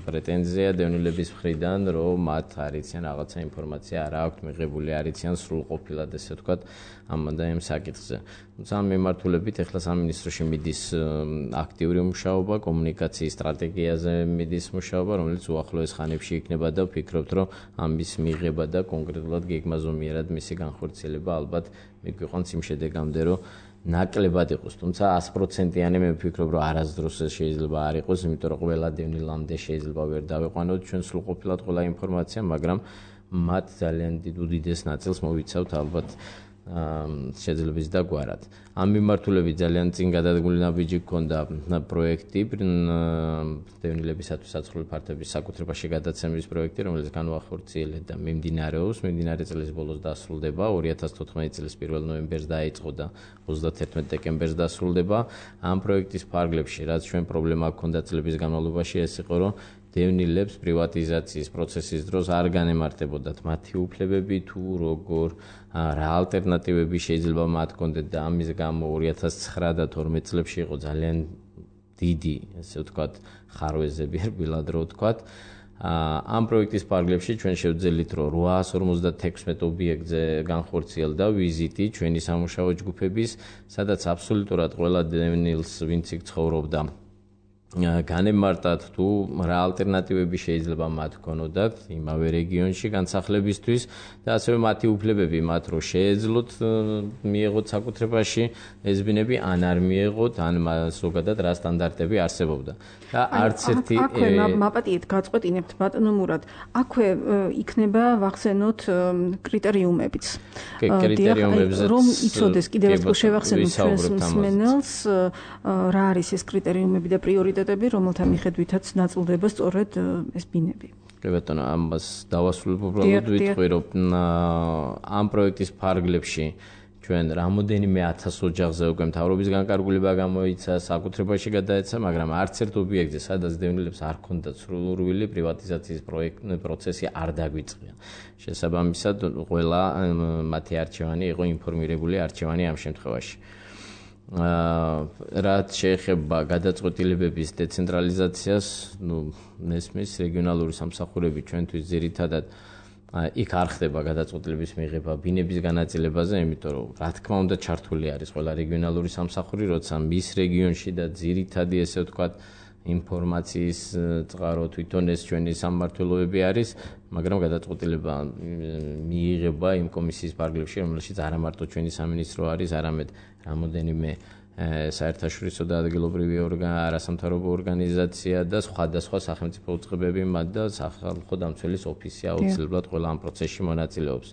პრეტენზია დევნილების მხრიდან, რომ მათ არიციან რაღაცა ინფორმაცია არ აქვთ მიღებული, არიციან სრულყოფილად, ესე ვთქვათ, ამ და იმ საკითხზე. თუმცა ამ მიმართულებით ახლა სამინისტროში მიდის აქტიური მუშაობა, კომუნიკაციის სტრატეგიაზე მიდის მუშაობა, რომელიც უახლოეს ხანებში იქნება და ვფიქრობთ, რომ ამის მიღება და კონკრეტულად გეგმაზომიერად მისი განხორციელება ალბათ მიგვიყვანს იმ შედეგამდე, რომ ნაკლებად იყოს. თუმცა 100%-იანი მე ვფიქრობ, რომ არასდროს ეს შეიძლება არ იყოს, იმიტომ რომ ყველა დევნილამდე შეიძლება ვერ დავეყვანოთ ჩვენ სრულყოფილად ყველა ინფორმაცია, მაგრამ მათ ძალიან უდიდეს ნაწილს მოვიცავთ ალბათ შეძლებს და გვარად. ამ მიმართულებით ძალიან წინ გადადგმული ნაბიჯი გქონდა პროექტი დევნილებისათვის საცხოვრებელი ფართობის საკუთრებაში გადაცემის პროექტი, რომელიც განუახორციელეთ და მიმდინარეობს. მიმდინარე წლის ბოლოს დასრულდება, 2014 წლის 1 ნოემბერს დაიწყო და 31 დეკემბერს დასრულდება. ამ პროექტის ფარგლებში, რაც ჩვენ პრობლემა გქონდა წლების განმავლობაში, ეს იყო, რომ დევნილებს პრივატიზაციის პროცესის დროს არ განემართებოდათ მათი უფლებები თუ როგორ რა ალტერნატივები შეიძლება მათ ჰქონდეთ და ამის გამო 2009 და 12 წლებში იყო ძალიან დიდი, ესე ვთქვათ, ხარვეზები რბილად რო ვთქვათ. ამ პროექტის ფარგლებში ჩვენ შევძელით, რომ 856 ობიექტზე განხორციელდა ვიზიტი ჩვენი სამუშაო ჯგუფების, სადაც აბსოლუტურად ყველა დევნილს, ვინც იქ ცხოვრობდა, განემარტათ თუ რა ალტერნატივები შეიძლება მათ ჰქონოდათ იმავე რეგიონში განსახლებისთვის და ასევე მათი უფლებები მათ რო შეეძლოთ მიეღოთ საკუთრებაში ეს ბინები ან არ მიეღოთ ან ზოგადად რა სტანდარტები არსებობდა და არც ერთი აქვე მაპატიეთ გაწყვეტინებთ ბატონო მურად აქვე იქნება ვახსენოთ კრიტერიუმებიც კრიტერიუმებზე რომ იცოდეს კიდევ ერთხელ შევახსენოთ ჩვენს მსმენელს რა არის ეს კრიტერიუმები და პრიორიტეტები რომელთა მიხედვითაც ნაწილდება სწორედ ეს ბინები. კი ბატონო, ამას დავასრულებ უბრალოდ ვიტყვი, რომ ამ პროექტის ფარგლებში ჩვენ რამოდენიმე 1000 ოჯახზე უკვე მთავრობის განკარგულება გამოიცა, საკუთრებაში გადაეცა, მაგრამ არც ერთ ობიექტზე, სადაც დევნილებს არ ჰქონდათ სრულურვილი პრივატიზაციის პროცესი არ დაგვიწყია. შესაბამისად, ყველა მათი არჩევანი იყო ინფორმირებული არჩევანი ამ შემთხვევაში. რაც შეეხება გადაწყვეტილებების დეცენტრალიზაციას, მესმის რეგიონალური სამსახურები ჩვენთვის ძირითადად იქ არ ხდება გადაწყვეტილების მიღება ბინების განაწილებაზე, იმიტომ რომ რა თქმა უნდა ჩართული არის ყველა რეგიონალური სამსახური, როცა მის რეგიონში და ძირითადი ესე ვთქვათ ინფორმაციის წყარო თვითონ ეს ჩვენი სამმართველოები არის, მაგრამ გადაწყვეტილება მიიღება იმ კომისიის ფარგლებში, რომელშიც არა მარტო ჩვენი სამინისტრო არის, არამედ რამოდენიმე საერთაშორისო და ადგილობრივი არასამთავრობო ორგანიზაცია და სხვადასხვა სახელმწიფო უწყებები, მათ და სახალხო დამცველის ოფისი აუცილებლად ყველა ამ პროცესში მონაწილეობს.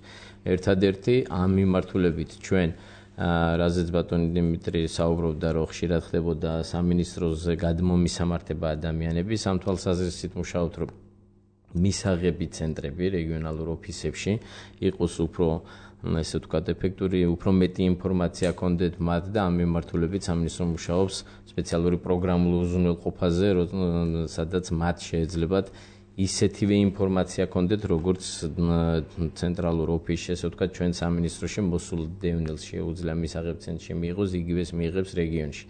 ერთადერთი ამ მიმართულებით ჩვენ რაზეც ბატონი დიმიტრი საუბრობდა, რომ ხშირად ხდებოდა სამინისტროზე გადმომისამართება ადამიანების ამ თვალსაზრისით მუშაობთ, რომ მისაღები ცენტრები რეგიონალურ ოფისებში იყოს უფრო ესე ვთქვათ ეფექტური, უფრო მეტი ინფორმაცია გქონდეთ მათ და ამ მიმართულებით სამინისტრო მუშაობს სპეციალური პროგრამულ უზრუნველყოფაზე, სადაც მათ შეეძლებათ ისეთივე ინფორმაცია გქონდეთ, როგორც ცენტრალურ ოფისში, ესე ვთქვათ, ჩვენ სამინისტროში მოსულ დევნილს შეუძლია მისაღებ ცენტრში მიიღოს, იგივეს მიიღებს რეგიონში.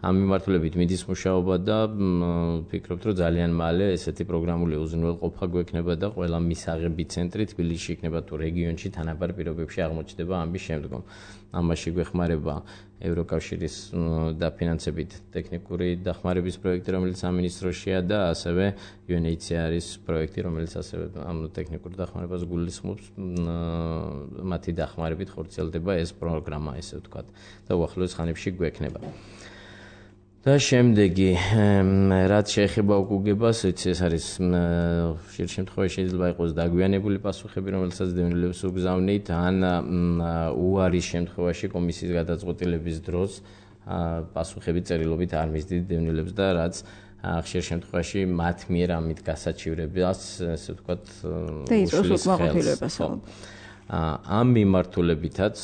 ამ მიმართულებით მიდის მუშაობა და ვფიქრობთ, რომ ძალიან მალე ესეთი პროგრამული უზრუნველყოფა გვექნება და ყველა მისაღები ცენტრი თბილისში იქნება თუ რეგიონში თანაბარ პირობებში აღმოჩნდება ამის შემდგომ. ამაში გვეხმარება ევროკავშირის დაფინანსებით ტექნიკური დახმარების პროექტი, რომელიც სამინისტროშია და ასევე UNHCR-ის პროექტი, რომელიც ასევე ამ ტექნიკურ დახმარებას გულისხმობს, მათი დახმარებით ხორციელდება ეს პროგრამა, ესე ვთქვათ, და უახლოეს ხანებში გვექნება. და შემდეგი, რაც შეეხება უკუგებას, ვიცი, ეს არის ხშირ შემთხვევაში შეიძლება იყოს დაგვიანებული პასუხები, რომელსაც დევნილებს უგზავნით, ან უარის შემთხვევაში კომისიის გადაწყვეტილების დროს პასუხები წერილობით არ მისდით დევნილებს და რაც ხშირ შემთხვევაში მათ მიერ ამით გასაჩივრებას, ესე ვთქვათ, უშლის ხელს. ამ მიმართულებითაც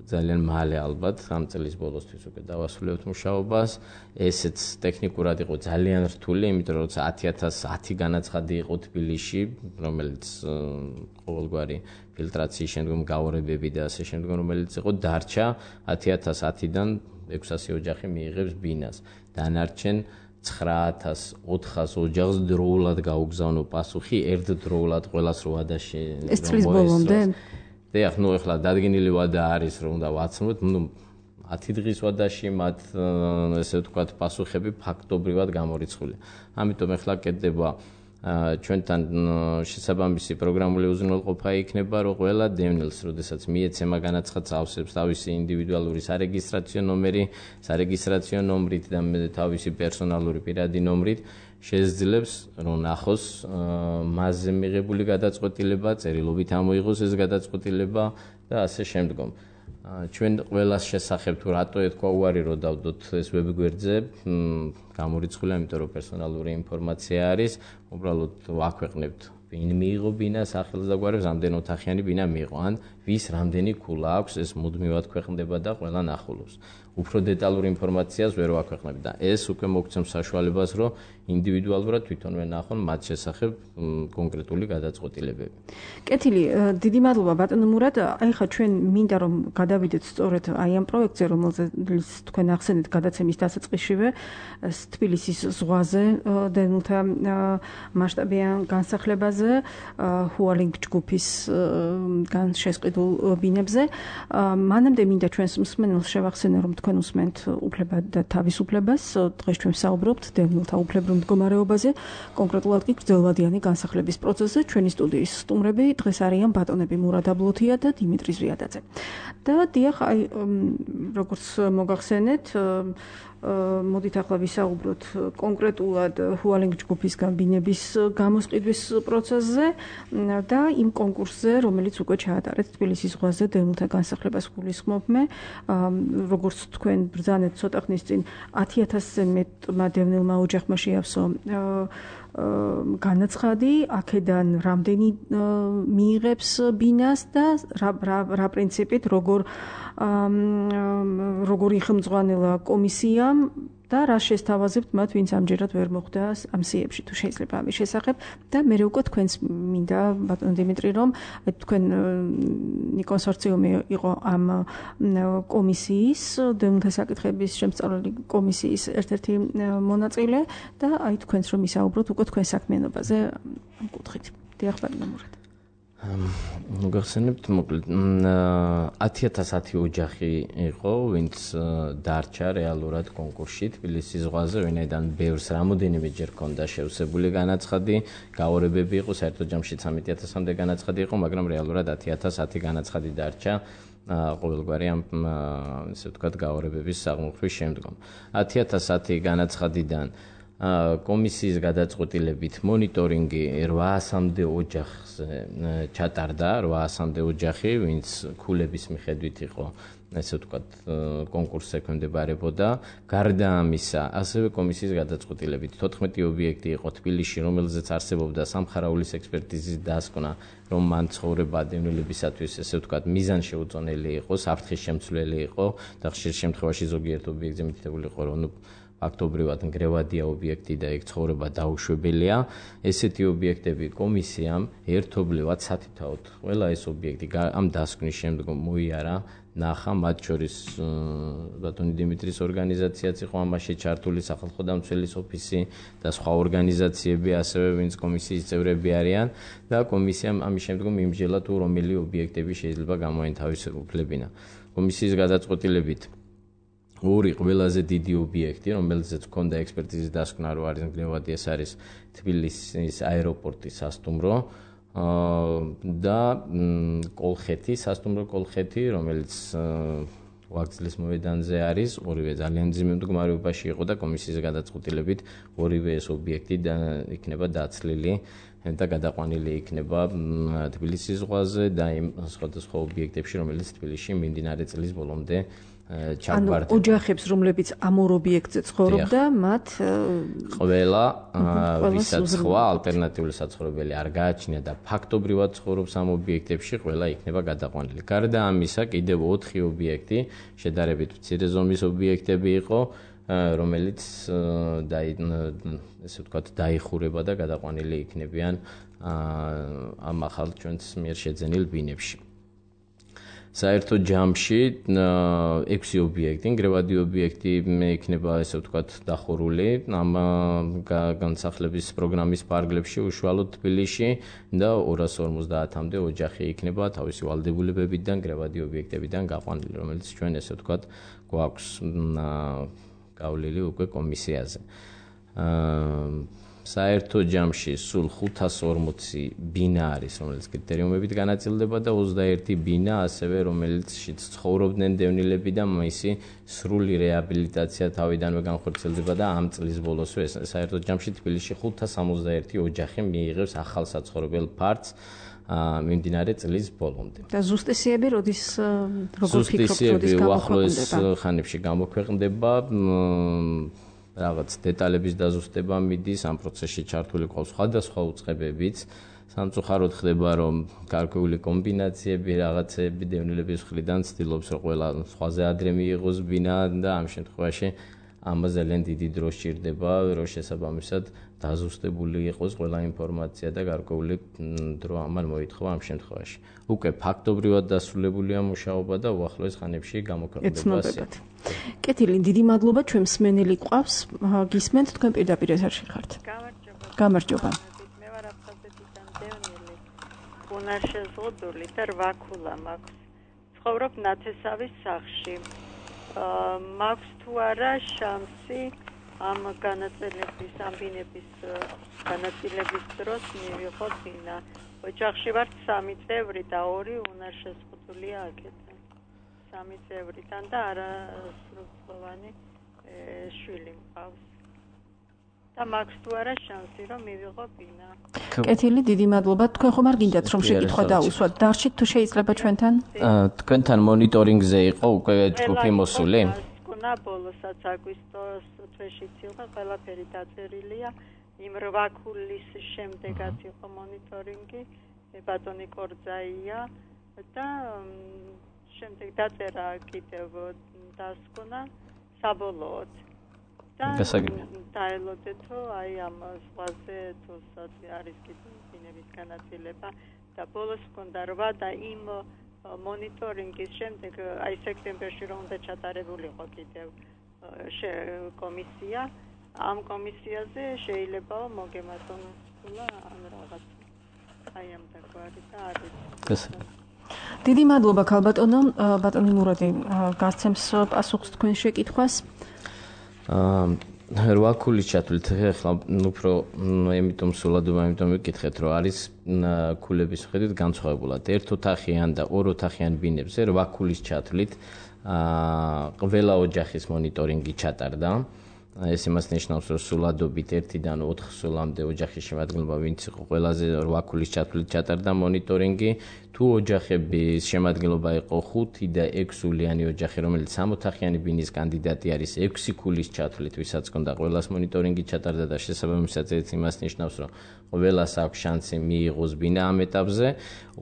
ძალიან მალე ალბათ ამ წლის ბოლოსთვის უკვე დავასრულებთ მუშაობას. ესეც ტექნიკურად იყო ძალიან რთული, იმიტომ რომ 10,010 განაცხადი იყო თბილისში, რომელიც ყოველგვარი ფილტრაციის შემდგომ გაორებები და ასე შემდგომ, რომელიც იყო დარჩა 10,010-დან 600 ოჯახი მიიღებს ბინას. დანარჩენ 9,400 ოჯახს დროულად გაუგზავნო პასუხი, ერთდროულად ყველას რო ვადაში. ეს წლის ბოლომდე? ეხლა ნუ ეხლა დადგენილი ვადა არის, რომ უნდა ვაცნოთ, ნუ 10 დღის ვადაში მათ ესე ვთქვათ პასუხები ფაქტობრივად გამორიცხულია. ამიტომ ეხლა კეთდება ჩვენთან შესაბამისი პროგრამული უზრუნველყოფა იქნება, რომ ყველა დევნილს, როდესაც მიეცემა განაცხადს ავსებს თავისი ინდივიდუალური სარეგისტრაციო ნომერი, სარეგისტრაციო ნომრით და თავისი პერსონალური პირადი ნომრით შეძლებს რომ ნახოს მასზე მიღებული გადაწყვეტილება, წერილობით ამოიღოს ეს გადაწყვეტილება და ასე შემდგომ. ჩვენ ყველას შესახებ თუ რატო ეთქვა უარი რომ დავდოთ ეს ვებგვერდზე, გამორიცხულია, იმიტომ რომ პერსონალური ინფორმაცია არის, უბრალოდ ვაქვეყნებთ ვინ მიიღო ბინას, სახელს და გვარებს, რამდენი ოთახიანი ბინა მიიღო, ან ვის რამდენი ქულა აქვს, ეს მუდმივად ქვეყნდება და ყველა ნახულობს. უფრო დეტალურ ინფორმაციას ვერ ვაქვეყნებ და ეს უკვე მოგცემს საშუალებას, რომ ინდივიდუალურად თვითონვე ნახონ მათ შესახებ კონკრეტული გადაწყვეტილებები. კეთილი, დიდი მადლობა ბატონო მურად. აი ხა ჩვენ მინდა რომ გადავიდეთ სწორედ აი ამ პროექტზე, რომელზეც თქვენ ახსენეთ გადაცემის დასაწყისშივე, თბილისის ზღვაზე დევნილთა მასშტაბიან განსახლებაზე, ჰუალინგ ჯგუფის განშესყიდულ ბინებზე. მანამდე მინდა ჩვენს მსმენელს შევახსენო, რომ თქვენ უსმენთ უფლება და თავისუფლებას. დღეს ჩვენ საუბრობთ დევნილთა უფლებრივ მდგომარეობაზე, კონკრეტულად კი გრძელვადიანი განსახლების პროცესზე. ჩვენი სტუდიის სტუმრები დღეს არიან ბატონები მურად აბლოთია და დიმიტრი ზვიადაძე. და დიახ, აი როგორც მოგახსენეთ, მოდით ახლა ვისაუბროთ კონკრეტულად ჰუალინგ ჯგუფის განბინების გამოსყიდვის პროცესზე და იმ კონკურსზე, რომელიც უკვე ჩაატარეთ თბილისის ზღვაზე დევნილთა განსახლებას გულისხმობ მე. როგორც თქვენ ბრძანეთ ცოტა ხნის წინ 10,000-ზე მეტმა დევნილმა ოჯახმა შეავსო განაცხადი, აქედან რამდენი მიიღებს ბინას და რა პრინციპით, როგორი ხელმძღვანელა კომისიამ და რა შესთავაზებთ მათ, ვინც ამჯერად ვერ მოხვდა ამ სიებში, თუ შეიძლება ამის შესახებ. და მე უკვე თქვენს მინდა ბატონ დიმიტრი, რომ თქვენი კონსორციუმი იყო ამ კომისიის, დევნილთა საკითხების შემსწავლელი კომისიის ერთ-ერთი მონაწილე და აი თქვენს რომ ისაუბროთ უკვე თქვენ საქმიანობაზე ამ კუთხით. დიახ, ბატონო მურად. მოგახსენებთ მოკლედ 10,010 ოჯახი იყო, ვინც დარჩა რეალურად კონკურსში თბილისის ზღვაზე, ვინაიდან ბევრს რამოდენიმეჯერ ჰქონდა შევსებული განაცხადი, გაორებები იყო, საერთოდ ჯამში 13,000-მდე განაცხადი იყო, მაგრამ რეალურად 10,010 განაცხადი დარჩა ყოველგვარი ამ ესე ვთქვათ გაორებების აღმოფხვის შემდგომ. 10,010 განაცხადიდან კომისიის გადაწყვეტილებით მონიტორინგი 800-მდე ოჯახზე ჩატარდა, 800-მდე ოჯახი, ვინც ქულების მიხედვით იყო, ესე ვთქვათ, კონკურსს ექვემდებარებოდა. გარდა ამისა, ასევე კომისიის გადაწყვეტილებით 14 ობიექტი იყო თბილისში, რომელზეც არსებობდა სამხარაულის ექსპერტიზის დასკვნა, რომ მან ცხოვრება დევნილებისათვის, ესე ვთქვათ, მიზანშეუწონელი იყო, საფრთხის შემცვლელი იყო და ხშირ შემთხვევაში ზოგიერთ ობიექტზე მითითებული იყო, რომ ფაქტობრივად ნგრევადია ობიექტი და ეგ ცხოვრება დაუშვებელია. ესეთი ობიექტები კომისიამ ერთობლივად სათითაოდ ყველა ეს ობიექტი ამ დასკვნის შემდგომ მოიარა, ნახა, მათ შორის ბატონი დიმიტრის ორგანიზაციაც იყო ამაში ჩართული, სახალხო დამცველის ოფისი და სხვა ორგანიზაციები, ასევე ვინც კომისიის წევრები არიან და კომისიამ ამის შემდგომ იმსჯელა თუ რომელი ობიექტები შეიძლება გამოენთავისუფლებინა. კომისიის გადაწყვეტილებით ორი ყველაზე დიდი ობიექტი, რომელზეც ჰქონდა ექსპერტიზის დასკვნა, რომ არის ნგრევადი, ეს არის თბილისის აეროპორტის სასტუმრო და კოლხეთი, სასტუმრო კოლხეთი, რომელიც ვაგზლის მოედანზე არის, ორივე ძალიან ძიმე მდგომარეობაში იყო და კომისიის გადაწყვეტილებით ორივე ეს ობიექტი იქნება დაცლილი და გადაყვანილი იქნება თბილისის ზღვაზე და იმ სხვადასხვა ობიექტებში, რომელიც თბილისში მიმდინარე წლის ბოლომდე ჩაგვარდა. ოჯახებს, რომლებიც ამ ორ ობიექტზე ცხოვრობდა, მათ ყველა ვისაც სხვა ალტერნატიული საცხოვრებელი არ გააჩნია და ფაქტობრივად ცხოვრობს ამ ობიექტებში, ყველა იქნება გადაყვანილი. გარდა ამისა, კიდევ 4 ობიექტი, შედარებით მცირე ზომის ობიექტები იყო, რომელიც ესე ვთქვათ, დაიხურება და გადაყვანილი იქნებიან ამ ახალ ჩვენს მიერ შეძენილ ბინებში. საერთო ჯამში 6 ობიექტი, ნგრევადი ობიექტი იქნება, ესე ვთქვათ, დახურული ამ განსახლების პროგრამის პარკლებში, უშუალოდ თბილისში და 250-მდე ოჯახი იქნება თავისი ვალდებულებებიდან, ნგრევადი ობიექტებიდან გაყვანილი, რომელიც ჩვენ, ესე ვთქვათ, გვაქვს გავლილი უკვე კომისიაზე. საერთო ჯამში სულ 540 ბინა არის, რომელიც კრიტერიუმებით განაწილდება და 21 ბინა ასევე, რომელშიც ცხოვრობდნენ დევნილები და მისი სრული რეაბილიტაცია თავიდანვე განხორციელდება და ამ წლის ბოლოსვე საერთო ჯამში თბილისში 561 ოჯახი მიიღებს ახალ საცხოვრებელ ფართს მიმდინარე წლის ბოლომდე. და ზუსტესიები როდის როგორ ფიქრობთ, როდის გამოქვეყნდება? უახლოეს ხანებში გამოქვეყნდება. რაღაც დეტალების დაზუსტება მიდის, ამ პროცესში ჩართული ყავს სხვადასხვა უწყებებიც. სამწუხაროდ ხდება, რომ გარკვეული კომბინაციები, რაღაცები დევნილების მხრიდან ცდილობს, რომ ყველა სხვაზე ადრე მიიღოს ბინა და ამ შემთხვევაში ამას ძალიან დიდი დრო სჭირდება, რომ შესაბამისად დაზუსტებული იყოს ყველა ინფორმაცია და გარკვეული დრო ამან მოითხოვა ამ შემთხვევაში. უკვე ფაქტობრივად დასრულებულია მუშაობა და უახლოეს ხანებში გამოქვეყნდება. კეთილი, დიდი მადლობა, ჩვენ მსმენელი გვყავს, გისმენთ, თქვენ პირდაპირ ეთერში ხართ. გამარჯობა. მე ვარ აფხაზეთიდან დევნილი, უნარშეზღუდული და 8 ქულა მაქვს. ცხოვრობ ნათესავის სახლში. მაქვს თუ არა შანსი ამ განაწილების, ამ ბინების განაწილების დროს მივიღო ბინა. ოჯახში ვართ 3 წევრი და 2 უნარშეზღუდულია აქედან. 3 წევრიდან და არასრულწლოვანი შვილი მყავს. და მაქვს თუ არა შანსი, რომ მივიღო ბინა. კეთილი, დიდი მადლობა. თქვენ ხომ არ გინდათ, რომ შეკითხვა დაუსვათ? დარჩით თუ შეიძლება ჩვენთან? თქვენთან მონიტორინგზე იყო უკვე ჯგუფი მოსული? გუნა ბოლოსაც აგვისტოს თვეშიც იყო, ყველაფერი დაწერილია. იმ 8 ქულის შემდეგაც იყო მონიტორინგი, ბატონი კორძაია და შემდეგ დაწერა კიდევ დასკვნა საბოლოოდ. და დაელოდეთო აი ამ ზღვაზე თუ არის კიდევ ბინების განაწილება და ბოლოს მქონდა 8 და იმ მონიტორინგის შემდეგ აი სექტემბერში რომ უნდა ჩატარებულიყო კიდევ კომისია, ამ კომისიაზე შეიძლება მოგემატონ სულა ან რაღაც აი ამ დაგვარი და არის. დიდი მადლობა ქალბატონო, ბატონი მურადი გასცემს პასუხს თქვენ შეკითხვას. 8 ქულის ჩათვლით ახლა უფრო ემიტომ სულადობა, ემიტომ ვიკითხეთ, რომ არის ქულების ხედვით განსხვავებულად. 1 ოთახიან და 2 ოთახიან ბინებზე 8 ქულის ჩათვლით ყველა ოჯახის მონიტორინგი ჩატარდა. ეს იმას ნიშნავს, რომ სულადობით 1-დან 4 სულამდე ოჯახის შემადგენლობა, ვინც იყო ყველაზე 8 ქულის ჩათვლით ჩატარდა მონიტორინგი, თუ ოჯახების შემადგენლობა იყო 5 და 6 სულიანი ოჯახი, რომელიც 6 ოთახიანი ბინის კანდიდატი არის 6 ქულის ჩათვლით, ვისაც ჰქონდა ყველას მონიტორინგი ჩატარდა და შესაბამისად ეს იმას ნიშნავს, რომ ყველას აქვს შანსი მიიღოს ბინა ამ ეტაპზე,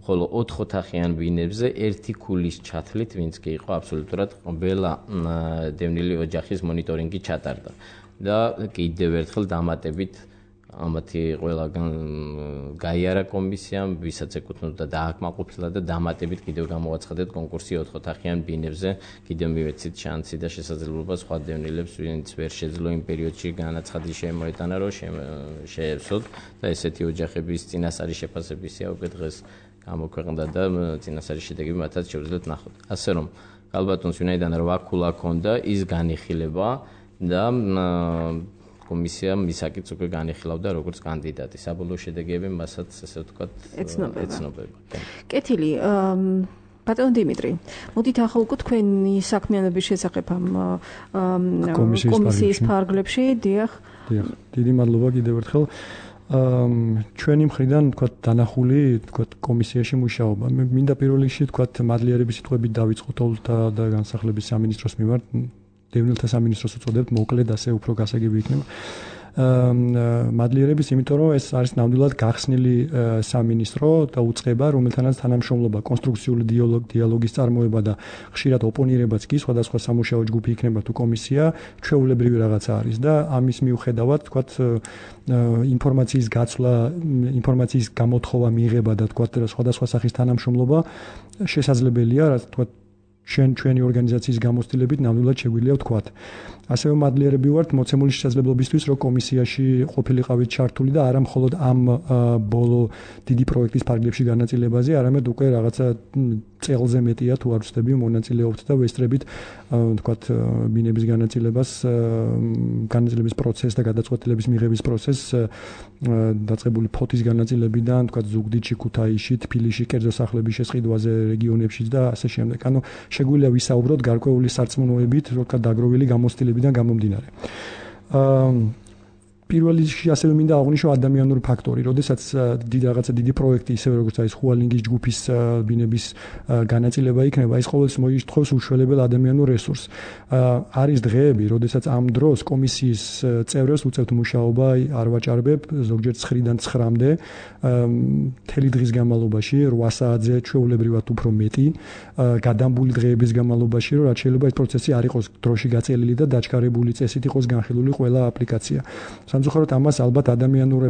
ხოლო 4 ოთახიან ბინებზე 1 ქულის ჩათვლით, ვინც კი იყო აბსოლუტურად ყველა დევნილი ოჯახის მონიტორინგი ჩატარდა. და კიდევ ერთხელ დამატებით ამათი ყველგან გაიარა კომისიამ, ვისაც ეკუთვნოდა დააკმაყოფილა და დამატებით კიდევ გამოაცხადეთ კონკურსი 4 ოთახიან ბინებზე, კიდევ მივეცით შანსი და შესაძლებლობა სხვა დევნილებს, ვინც ვერ შეძლო იმ პერიოდში განაცხადი შემოეტანა, რომ შეეცვლოთ და ესეთი ოჯახების წინასწარი შეფასებისია უკვე დღეს გამოქვეყნდა და წინასწარი შედეგები მათაც შევძლეთ ნახოთ. ასე რომ ალბათონს ვინაიდან 8 ქულა ჰქონდა, ის განიხილება და კომისია მისაკიც უკვე განიხილავდა როგორც კანდიდატი. საბოლოო შედეგები მასაც ესე ვთქვათ ეცნობება. კეთილი, ბატონო დიმიტრი, მოდით ახლა უკვე თქვენი საქმიანობის შესახებ ამ კომისიის ფარგლებში, დიახ. დიდი მადლობა კიდევ ერთხელ. ჩვენი მხრიდან ვთქვათ დანახული ვთქვათ კომისიაში მუშაობა. მე მინდა პირველ რიგში ვთქვათ მადლიერების სიტყვებით დავიწყოთ ოლთა და განსახლების სამინისტროს მიმართ. დევნილთა სამინისტროს უწოდებთ, მოკლედ ასე უფრო გასაგები იქნება. მადლიერების, იმიტომ რომ ეს არის ნამდვილად გახსნილი სამინისტრო და უწყება, რომელთანაც თანამშრომლობა, კონსტრუქციული დიალოგის წარმოება და ხშირად ოპონირებაც კი სხვადასხვა სამუშაო ჯგუფი იქნება თუ კომისია, ჩვეულებრივი რაღაცა არის და ამის მიუხედავად, თქვათ, ინფორმაციის გაცვლა, ინფორმაციის გამოთხოვა, მიღება და თქვათ, სხვადასხვა სახის თანამშრომლობა შესაძლებელია, რაც თქვათ ჩვენი ორგანიზაციის გამოცდილებით ნამდვილად შეგვიძლია ვთქვათ. ასევე მადლიერები ვართ მოცემული შესაძლებლობისთვის, რომ კომისიაში ყოფილიყავით ჩართული და არა მხოლოდ ამ ბოლო დიდი პროექტის ფარგლებში განაწილებაზე, არამედ უკვე რაღაცა წელზე მეტია თუ არ ვცდები მონაწილეობთ და ვესწრებით ვთქვათ ბინების განაწილების პროცესს და გადაწყვეტილების მიღების პროცესს დაწყებული ფოთის განაწილებიდან, ვთქვათ ზუგდიდში, ქუთაისში, თბილისში, კერძო სახლების შესყიდვაზე რეგიონებში და ასე შემდეგ. ანუ შეგვიძლია ვისაუბროთ გარკვეული სარწმუნოებით, ვთქვათ დაგროვილი გამოცდილებიდან გამომდინარე. პირველ რიგში ასევე მინდა აღვნიშნო ადამიანური ფაქტორი, როდესაც დიდი პროექტი, ისევე როგორც არის ხუალინგის ჯგუფის ბინების განაწილება იქნება, ის ყოველთვის მოითხოვს უშველებელ ადამიანურ რესურსს. არის დღეები, როდესაც ამ დროს კომისიის წევრებს უწევთ მუშაობა, არ ვაჭარბებ, ზოგჯერ 9-დან 9-მდე, მთელი დღის განმავლობაში, 8 საათზე ჩვეულებრივად უფრო მეტი, გადამბული დღეების განმავლობაში, რომ რაც შეიძლება ეს პროცესი არ იყოს დროში გაწელილი და დაჩქარებული წესით იყოს განხილული ყველა აპლიკაცია. სამწუხაროდ ამას ალბათ ადამიანურ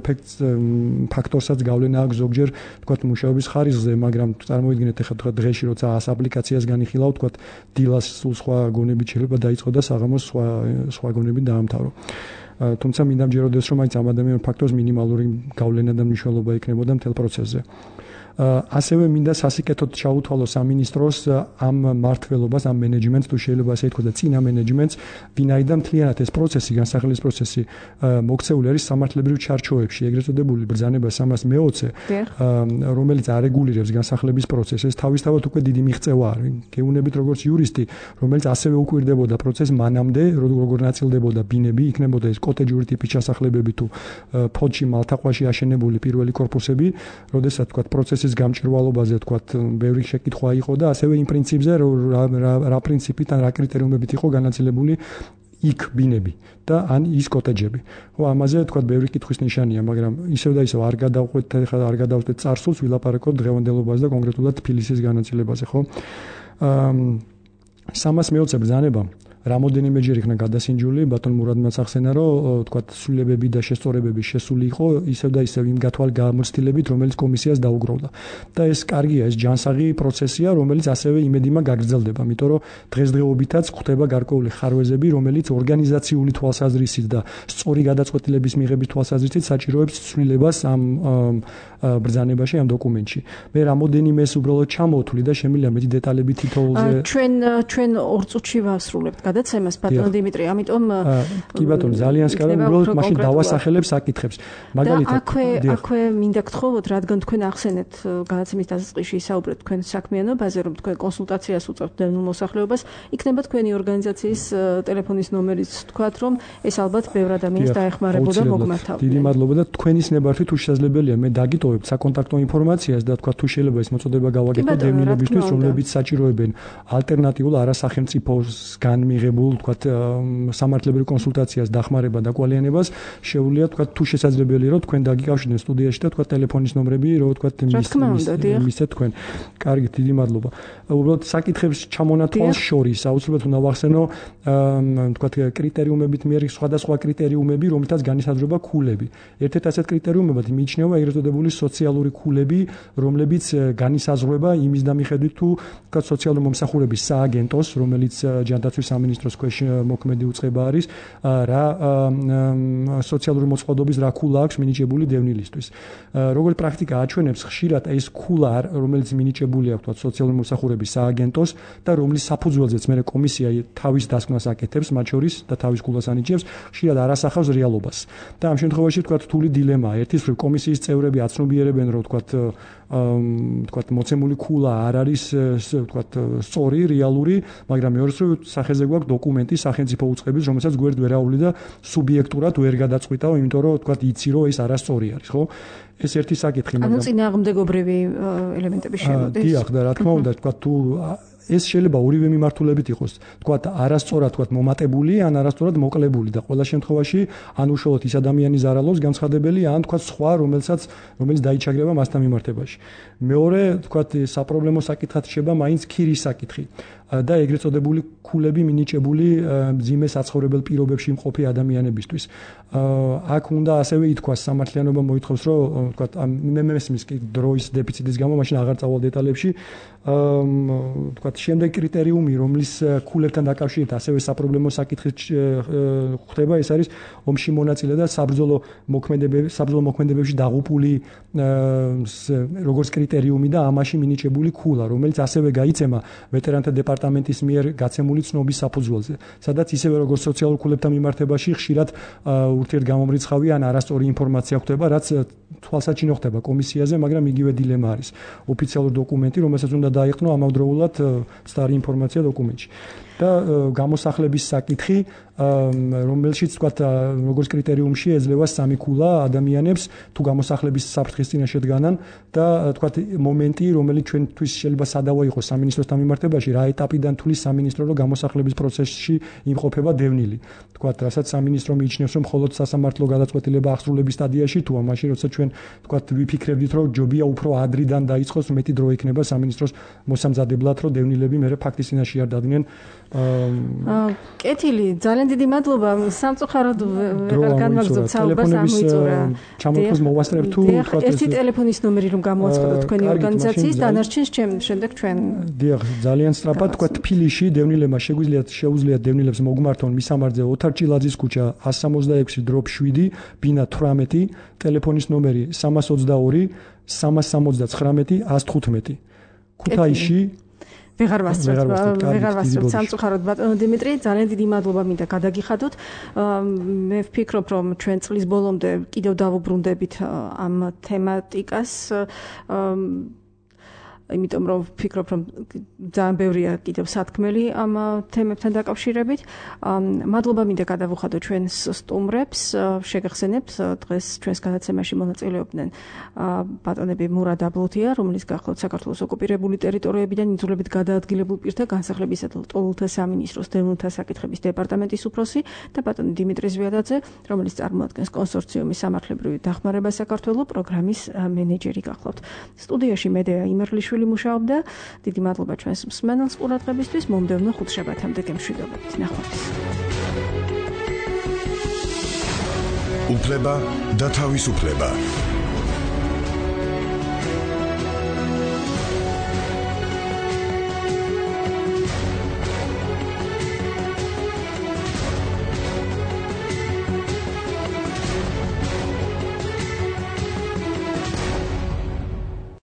ფაქტორსაც გავლენა აქვს ზოგჯერ თქვათ მუშაობის ხარისხზე, მაგრამ წარმოიდგინეთ ახლა დღეში როცა 100 აპლიკაციას განიხილავ, თქვათ დილას სულ სხვა გონებით შეიძლება დაიწყო და საღამოს სხვა გონებით დაამთავრო. თუმცა მინდა მჯეროდეს რომ მაინც ამ ადამიანურ ფაქტორს მინიმალური გავლენა და მნიშვნელობა იქნებოდა მთელ პროცესზე. ასევე მინდა სასიკეთოდ ჩაუთვალო სამინისტროს ამ მართლობას, ამ მენეჯმენტს, თუ შეიძლება ასე ითქვას და წინა მენეჯმენტს, ვინაიდან მთლიანად ეს პროცესი, განსახილვის პროცესი მოქცეული არის სამართლებრივ ჩარჩოებში, ეგრეთ წოდებული ბრძანება 320, რომელიც არეგულირებს განსახლების პროცესს. ეს თავისთავად უკვე დიდი მიღწევა არის. გეუბნებით როგორც იურისტი, რომელიც ასევე უკვირდებოდა პროცესს მანამდე, როგორ ნაწილდებოდა ბინები, იქნებოდა ეს კოტეჯური ტიპის ჩასახლებები თუ ფოთში მალთაყვაში აშენებული პირველი კორპუსები, როდესაც თქვა პროცესის გამჭვირვალობაზე თქვათ ბევრი შეკითხვა იყო და ასევე იმ პრინციპზე რა პრინციპით ან რა კრიტერიუმებით იყო განაწილებული იქ ბინები და ან ის კოტეჯები. ხო, ამაზე თქვათ ბევრი კითხვის ნიშანია, მაგრამ ისევ და ისევ არ გადავხვდეთ წარსულს, ვილაპარაკოთ დღევანდელობაზე და კონკრეტულად თბილისის განაწილებაზე, ხო? 320 ბრძანება რამოდენიმეჯერ იქნა გადასინჯული, ბატონ მურადმაც ახსენა, რომ თქვათ სრულებები და შესწორებები შესული იყო ისევ და ისევ იმ გამოცდილებით, რომელიც კომისიას დაუგროვდა. და ეს კარგია, ეს ჯანსაღი პროცესია, რომელიც ასევე იმედიმა გაგრძელდება, იმიტომ რომ დღესდღეობითაც ხდება გარკვეული ხარვეზები, რომელიც ორგანიზაციული თვალსაზრისით და სწორი გადაწყვეტილების მიღების თვალსაზრისით საჭიროებს ცვლილებას ამ ბრძანებაში, ამ დოკუმენტში. მე რამოდენიმე ეს უბრალოდ ჩამოვთვლი და შემიძლია მეტი დეტალები თითოეულზე ჩვენ 2 წუთში ვასრულებთ გადაცემას ბატონო დიმიტრი, ამიტომ კი ბატონო, ძალიან სკალა, უბრალოდ მაშინ დავასახელებ საკითხებს. მაგალითად, აქვე მინდა გთხოვოთ, რადგან თქვენ ახსენეთ გადაცემის დასაწყისში საუბრეთ თქვენ საქმიანობაზე, რომ თქვენ კონსულტაციას უწევთ დევნილ მოსახლეობას, იქნება თქვენი ორგანიზაციის ტელეფონის ნომერიც თქვათ, რომ ეს ალბათ ბევრ ადამიანს დაეხმარებოდა მოგმართავდნენ. დიდი მადლობა და თქვენის ნებართვით თუ შესაძლებელია მე დაგიტოვებთ საკონტაქტო ინფორმაციას და თქვა თუ შეიძლება ეს მოწოდება გავაკეთოთ დევნილებისთვის, რომლებიც საჭიროებენ ალტერნატიულ არასახელმწიფოსგან მიღებულ თქვა სამართლებრივ კონსულტაციას, დახმარება და კვალიანებას, შეუძლია თქვა თუ შესაძლებელია რომ თქვენ დაგიკავშირდეთ სტუდიაში და თქვა ტელეფონის ნომრები რომ თქვა მისცეთ თქვენ. კარგი, დიდი მადლობა. უბრალოდ საკითხებს ჩამონათვალს შორის აუცილებლად უნდა ვახსენო თქვა კრიტერიუმებით მიერ სხვადასხვა კრიტერიუმები, რომლითაც განისაზღვრება ქულები. ერთ-ერთ ასეთ კრიტერიუმებად მიიჩნევა ეგრეთ წოდებული სოციალური ქულები, რომლებიც განისაზღვრება იმის დამიხედვით თუ თქვა სოციალური მომსახურების სააგენტოს, რომელიც ჯანდაცვის სამინისტროს ქვეშ მოქმედი უწყება არის, რა სოციალური მოწყობილობის რა ქულა აქვს მინიჭებული დევნილისთვის. როგორც პრაქტიკა აჩვენებს, ხშირად ეს ქულა, რომელიც მინიჭებული აქვს თქვა სოციალური მომსახურების სააგენტოს და რომლის საფუძველზეც მე კომისია თავის დასკვნას აკეთებს, მათ შორის და თავის ქულას ანიჭებს, ხშირად არ ასახავს რეალობას. და ამ შემთხვევაში თქვა რთული დილემაა. ერთის მხრივ კომისიის წევრები აცნობიერებენ, რომ თქვა მოცემული ქულა არ არის თქვა სწორი, რეალური, მაგრამ მეორეს მხრივ სახეზე გვაქვს დოკუმენტი სახელმწიფო უწყების, რომელსაც გვერდ ვერ აუვლი და სუბიექტურად ვერ გადაწყვიტავ, იმიტომ რომ თქვა იცი რომ ეს არასწორი არის, ხო? ეს ერთი საკითხი, მაგრამ ანუ წინააღმდეგობრივი ელემენტები შემოდის. დიახ, და რა თქმა უნდა, თქვა თუ ეს შეიძლება ორივე მიმართულებით იყოს, თქვა არასწორად თქვა მომატებული ან არასწორად მოკლებული და ყველა შემთხვევაში ან უშუალოდ ის ადამიანი ზარალობს განცხადებელია ან თქვა სხვა რომელიც დაიჩაგრება მასთან მიმართებაში. მეორე თქვა საპრობლემო საკითხად შეება მაინც ქირის საკითხი და ეგრეთ წოდებული ქულები მინიჭებული მძიმე საცხოვრებელ პირობებში მყოფი ადამიანებისთვის. აქ უნდა ასევე ითქვას სამართლიანობა მოითხოვს რომ თქვა მე მესმის დროის დეფიციტის გამო მაშინ აღარ წავალ დეტალებში თქვა შემდეგ კრიტერიუმი რომლის ქულებთან დაკავშირებით ასევე საპრობლემო საკითხი ხდება ეს არის ომში მონაწილე და საბრძოლო მოქმედებებში დაღუპული როგორც კრიტერიუმი და ამაში მინიჭებული ქულა რომელიც ასევე გაიცემა ვეტერანთა დეპარტამენტის მიერ გაცემული ცნობის საფუძველზე სადაც ისევე როგორც სოციალურ ქულებთან მიმართებაში ხშირად ურთიერთგამომრიცხავი ან არასწორი ინფორმაცია ხდება რაც თვალსაჩინო ხდება კომისიაზე მაგრამ იგივე დილემა არის ოფიციალური დოკუმენტი რომელსაც უნდა დაიყნო ამავდროულად სტარი ინფორმაცია დოკუმენტში და გამოსახლების საკითხი რომელშიც თქვა როგორც კრიტერიუმში ეძლევა სამი ქულა ადამიანებს თუ გამოსახლების საფრთხის წინაშე დგანან და თქვა მომენტი რომელიც ჩვენთვის შეიძლება სადავო იყოს სამინისტროსთან მიმართებაში რა ეტაპიდან თulis სამინისტრო რომ გამოსახლების პროცესში იმყოფება დევნილი თქვა რასაც სამინისტრო მიიჩნევს რომ მხოლოდ სასამართლო გადაწყვეტილება აღსრულების სტადიაში თუ ამაში როცა ჩვენ თქვა ვიფიქრებდით რომ ჯობია უფრო ადრიდან დაიწყოს მეტი დრო იქნება სამინისტროს მოსამზადებლად რომ დევნილები მე ფაქტის წინაშე არ დადგნენ კეთილი ძალიან დიდი მადლობა სამწუხაროდ ვეღარ განვაგრძობთ საუბარს ამოიწურა ჩამოთვლას მოვასწრებ თუ თქვა ერთი ტელეფონის ნომერი რომ გამოაცხადოთ თქვენი ორგანიზაციის დანარჩენს შემდეგ ჩვენ დიახ ძალიან სწრაფად თქვა თბილისში დევნილებმა შეუძლიათ დევნილებს მოგმართონ მისამართზე ოთარ ჭილაძის ქუჩა 166/7 ბინა 18 ტელეფონის ნომერი 322 379 115 ქუთაისში ვეღარ ვასწრებ სამწუხაროდ ბატონო დიმიტრი ძალიან დიდი მადლობა მინდა გადაგიხადოთ მე ვფიქრობ რომ ჩვენ წლის ბოლომდე კიდევ დავუბრუნდებით ამ თემატიკას იმიტომ რომ ვფიქრობ რომ ძალიან ბევრია კიდევ სათქმელი ამ თემებთან დაკავშირებით მადლობა მინდა გადავუხადოთ ჩვენს სტუმრებს შეგახსენებთ დღეს ჩვენს გადაცემაში მონაწილეობდნენ ბატონები მურად აბლუთია რომელიც გახლავთ საქართველოს ოკუპირებული ტერიტორიებიდან იძულებით გადაადგილებულ პირთა განსახლებისა და ტოლთა სამინისტროს დევნილთა საკითხების დეპარტამენტის უფროსი და ბატონი დიმიტრი ზვიადაძე რომელიც წარმოადგენს კონსორციუმის სამართლებრივი დახმარება საქართველოს პროგრამის მენეჯერი გახლავთ სტუდიაში მედეა იმერლიშვილი მუშაობდა. დიდი მადლობა ჩვენს მსმენელს ყურადღებისთვის. მომდევნო ხუთშაბათამდე გემშვიდობებით. ნახვამდის. უფლება და თავისუფლება.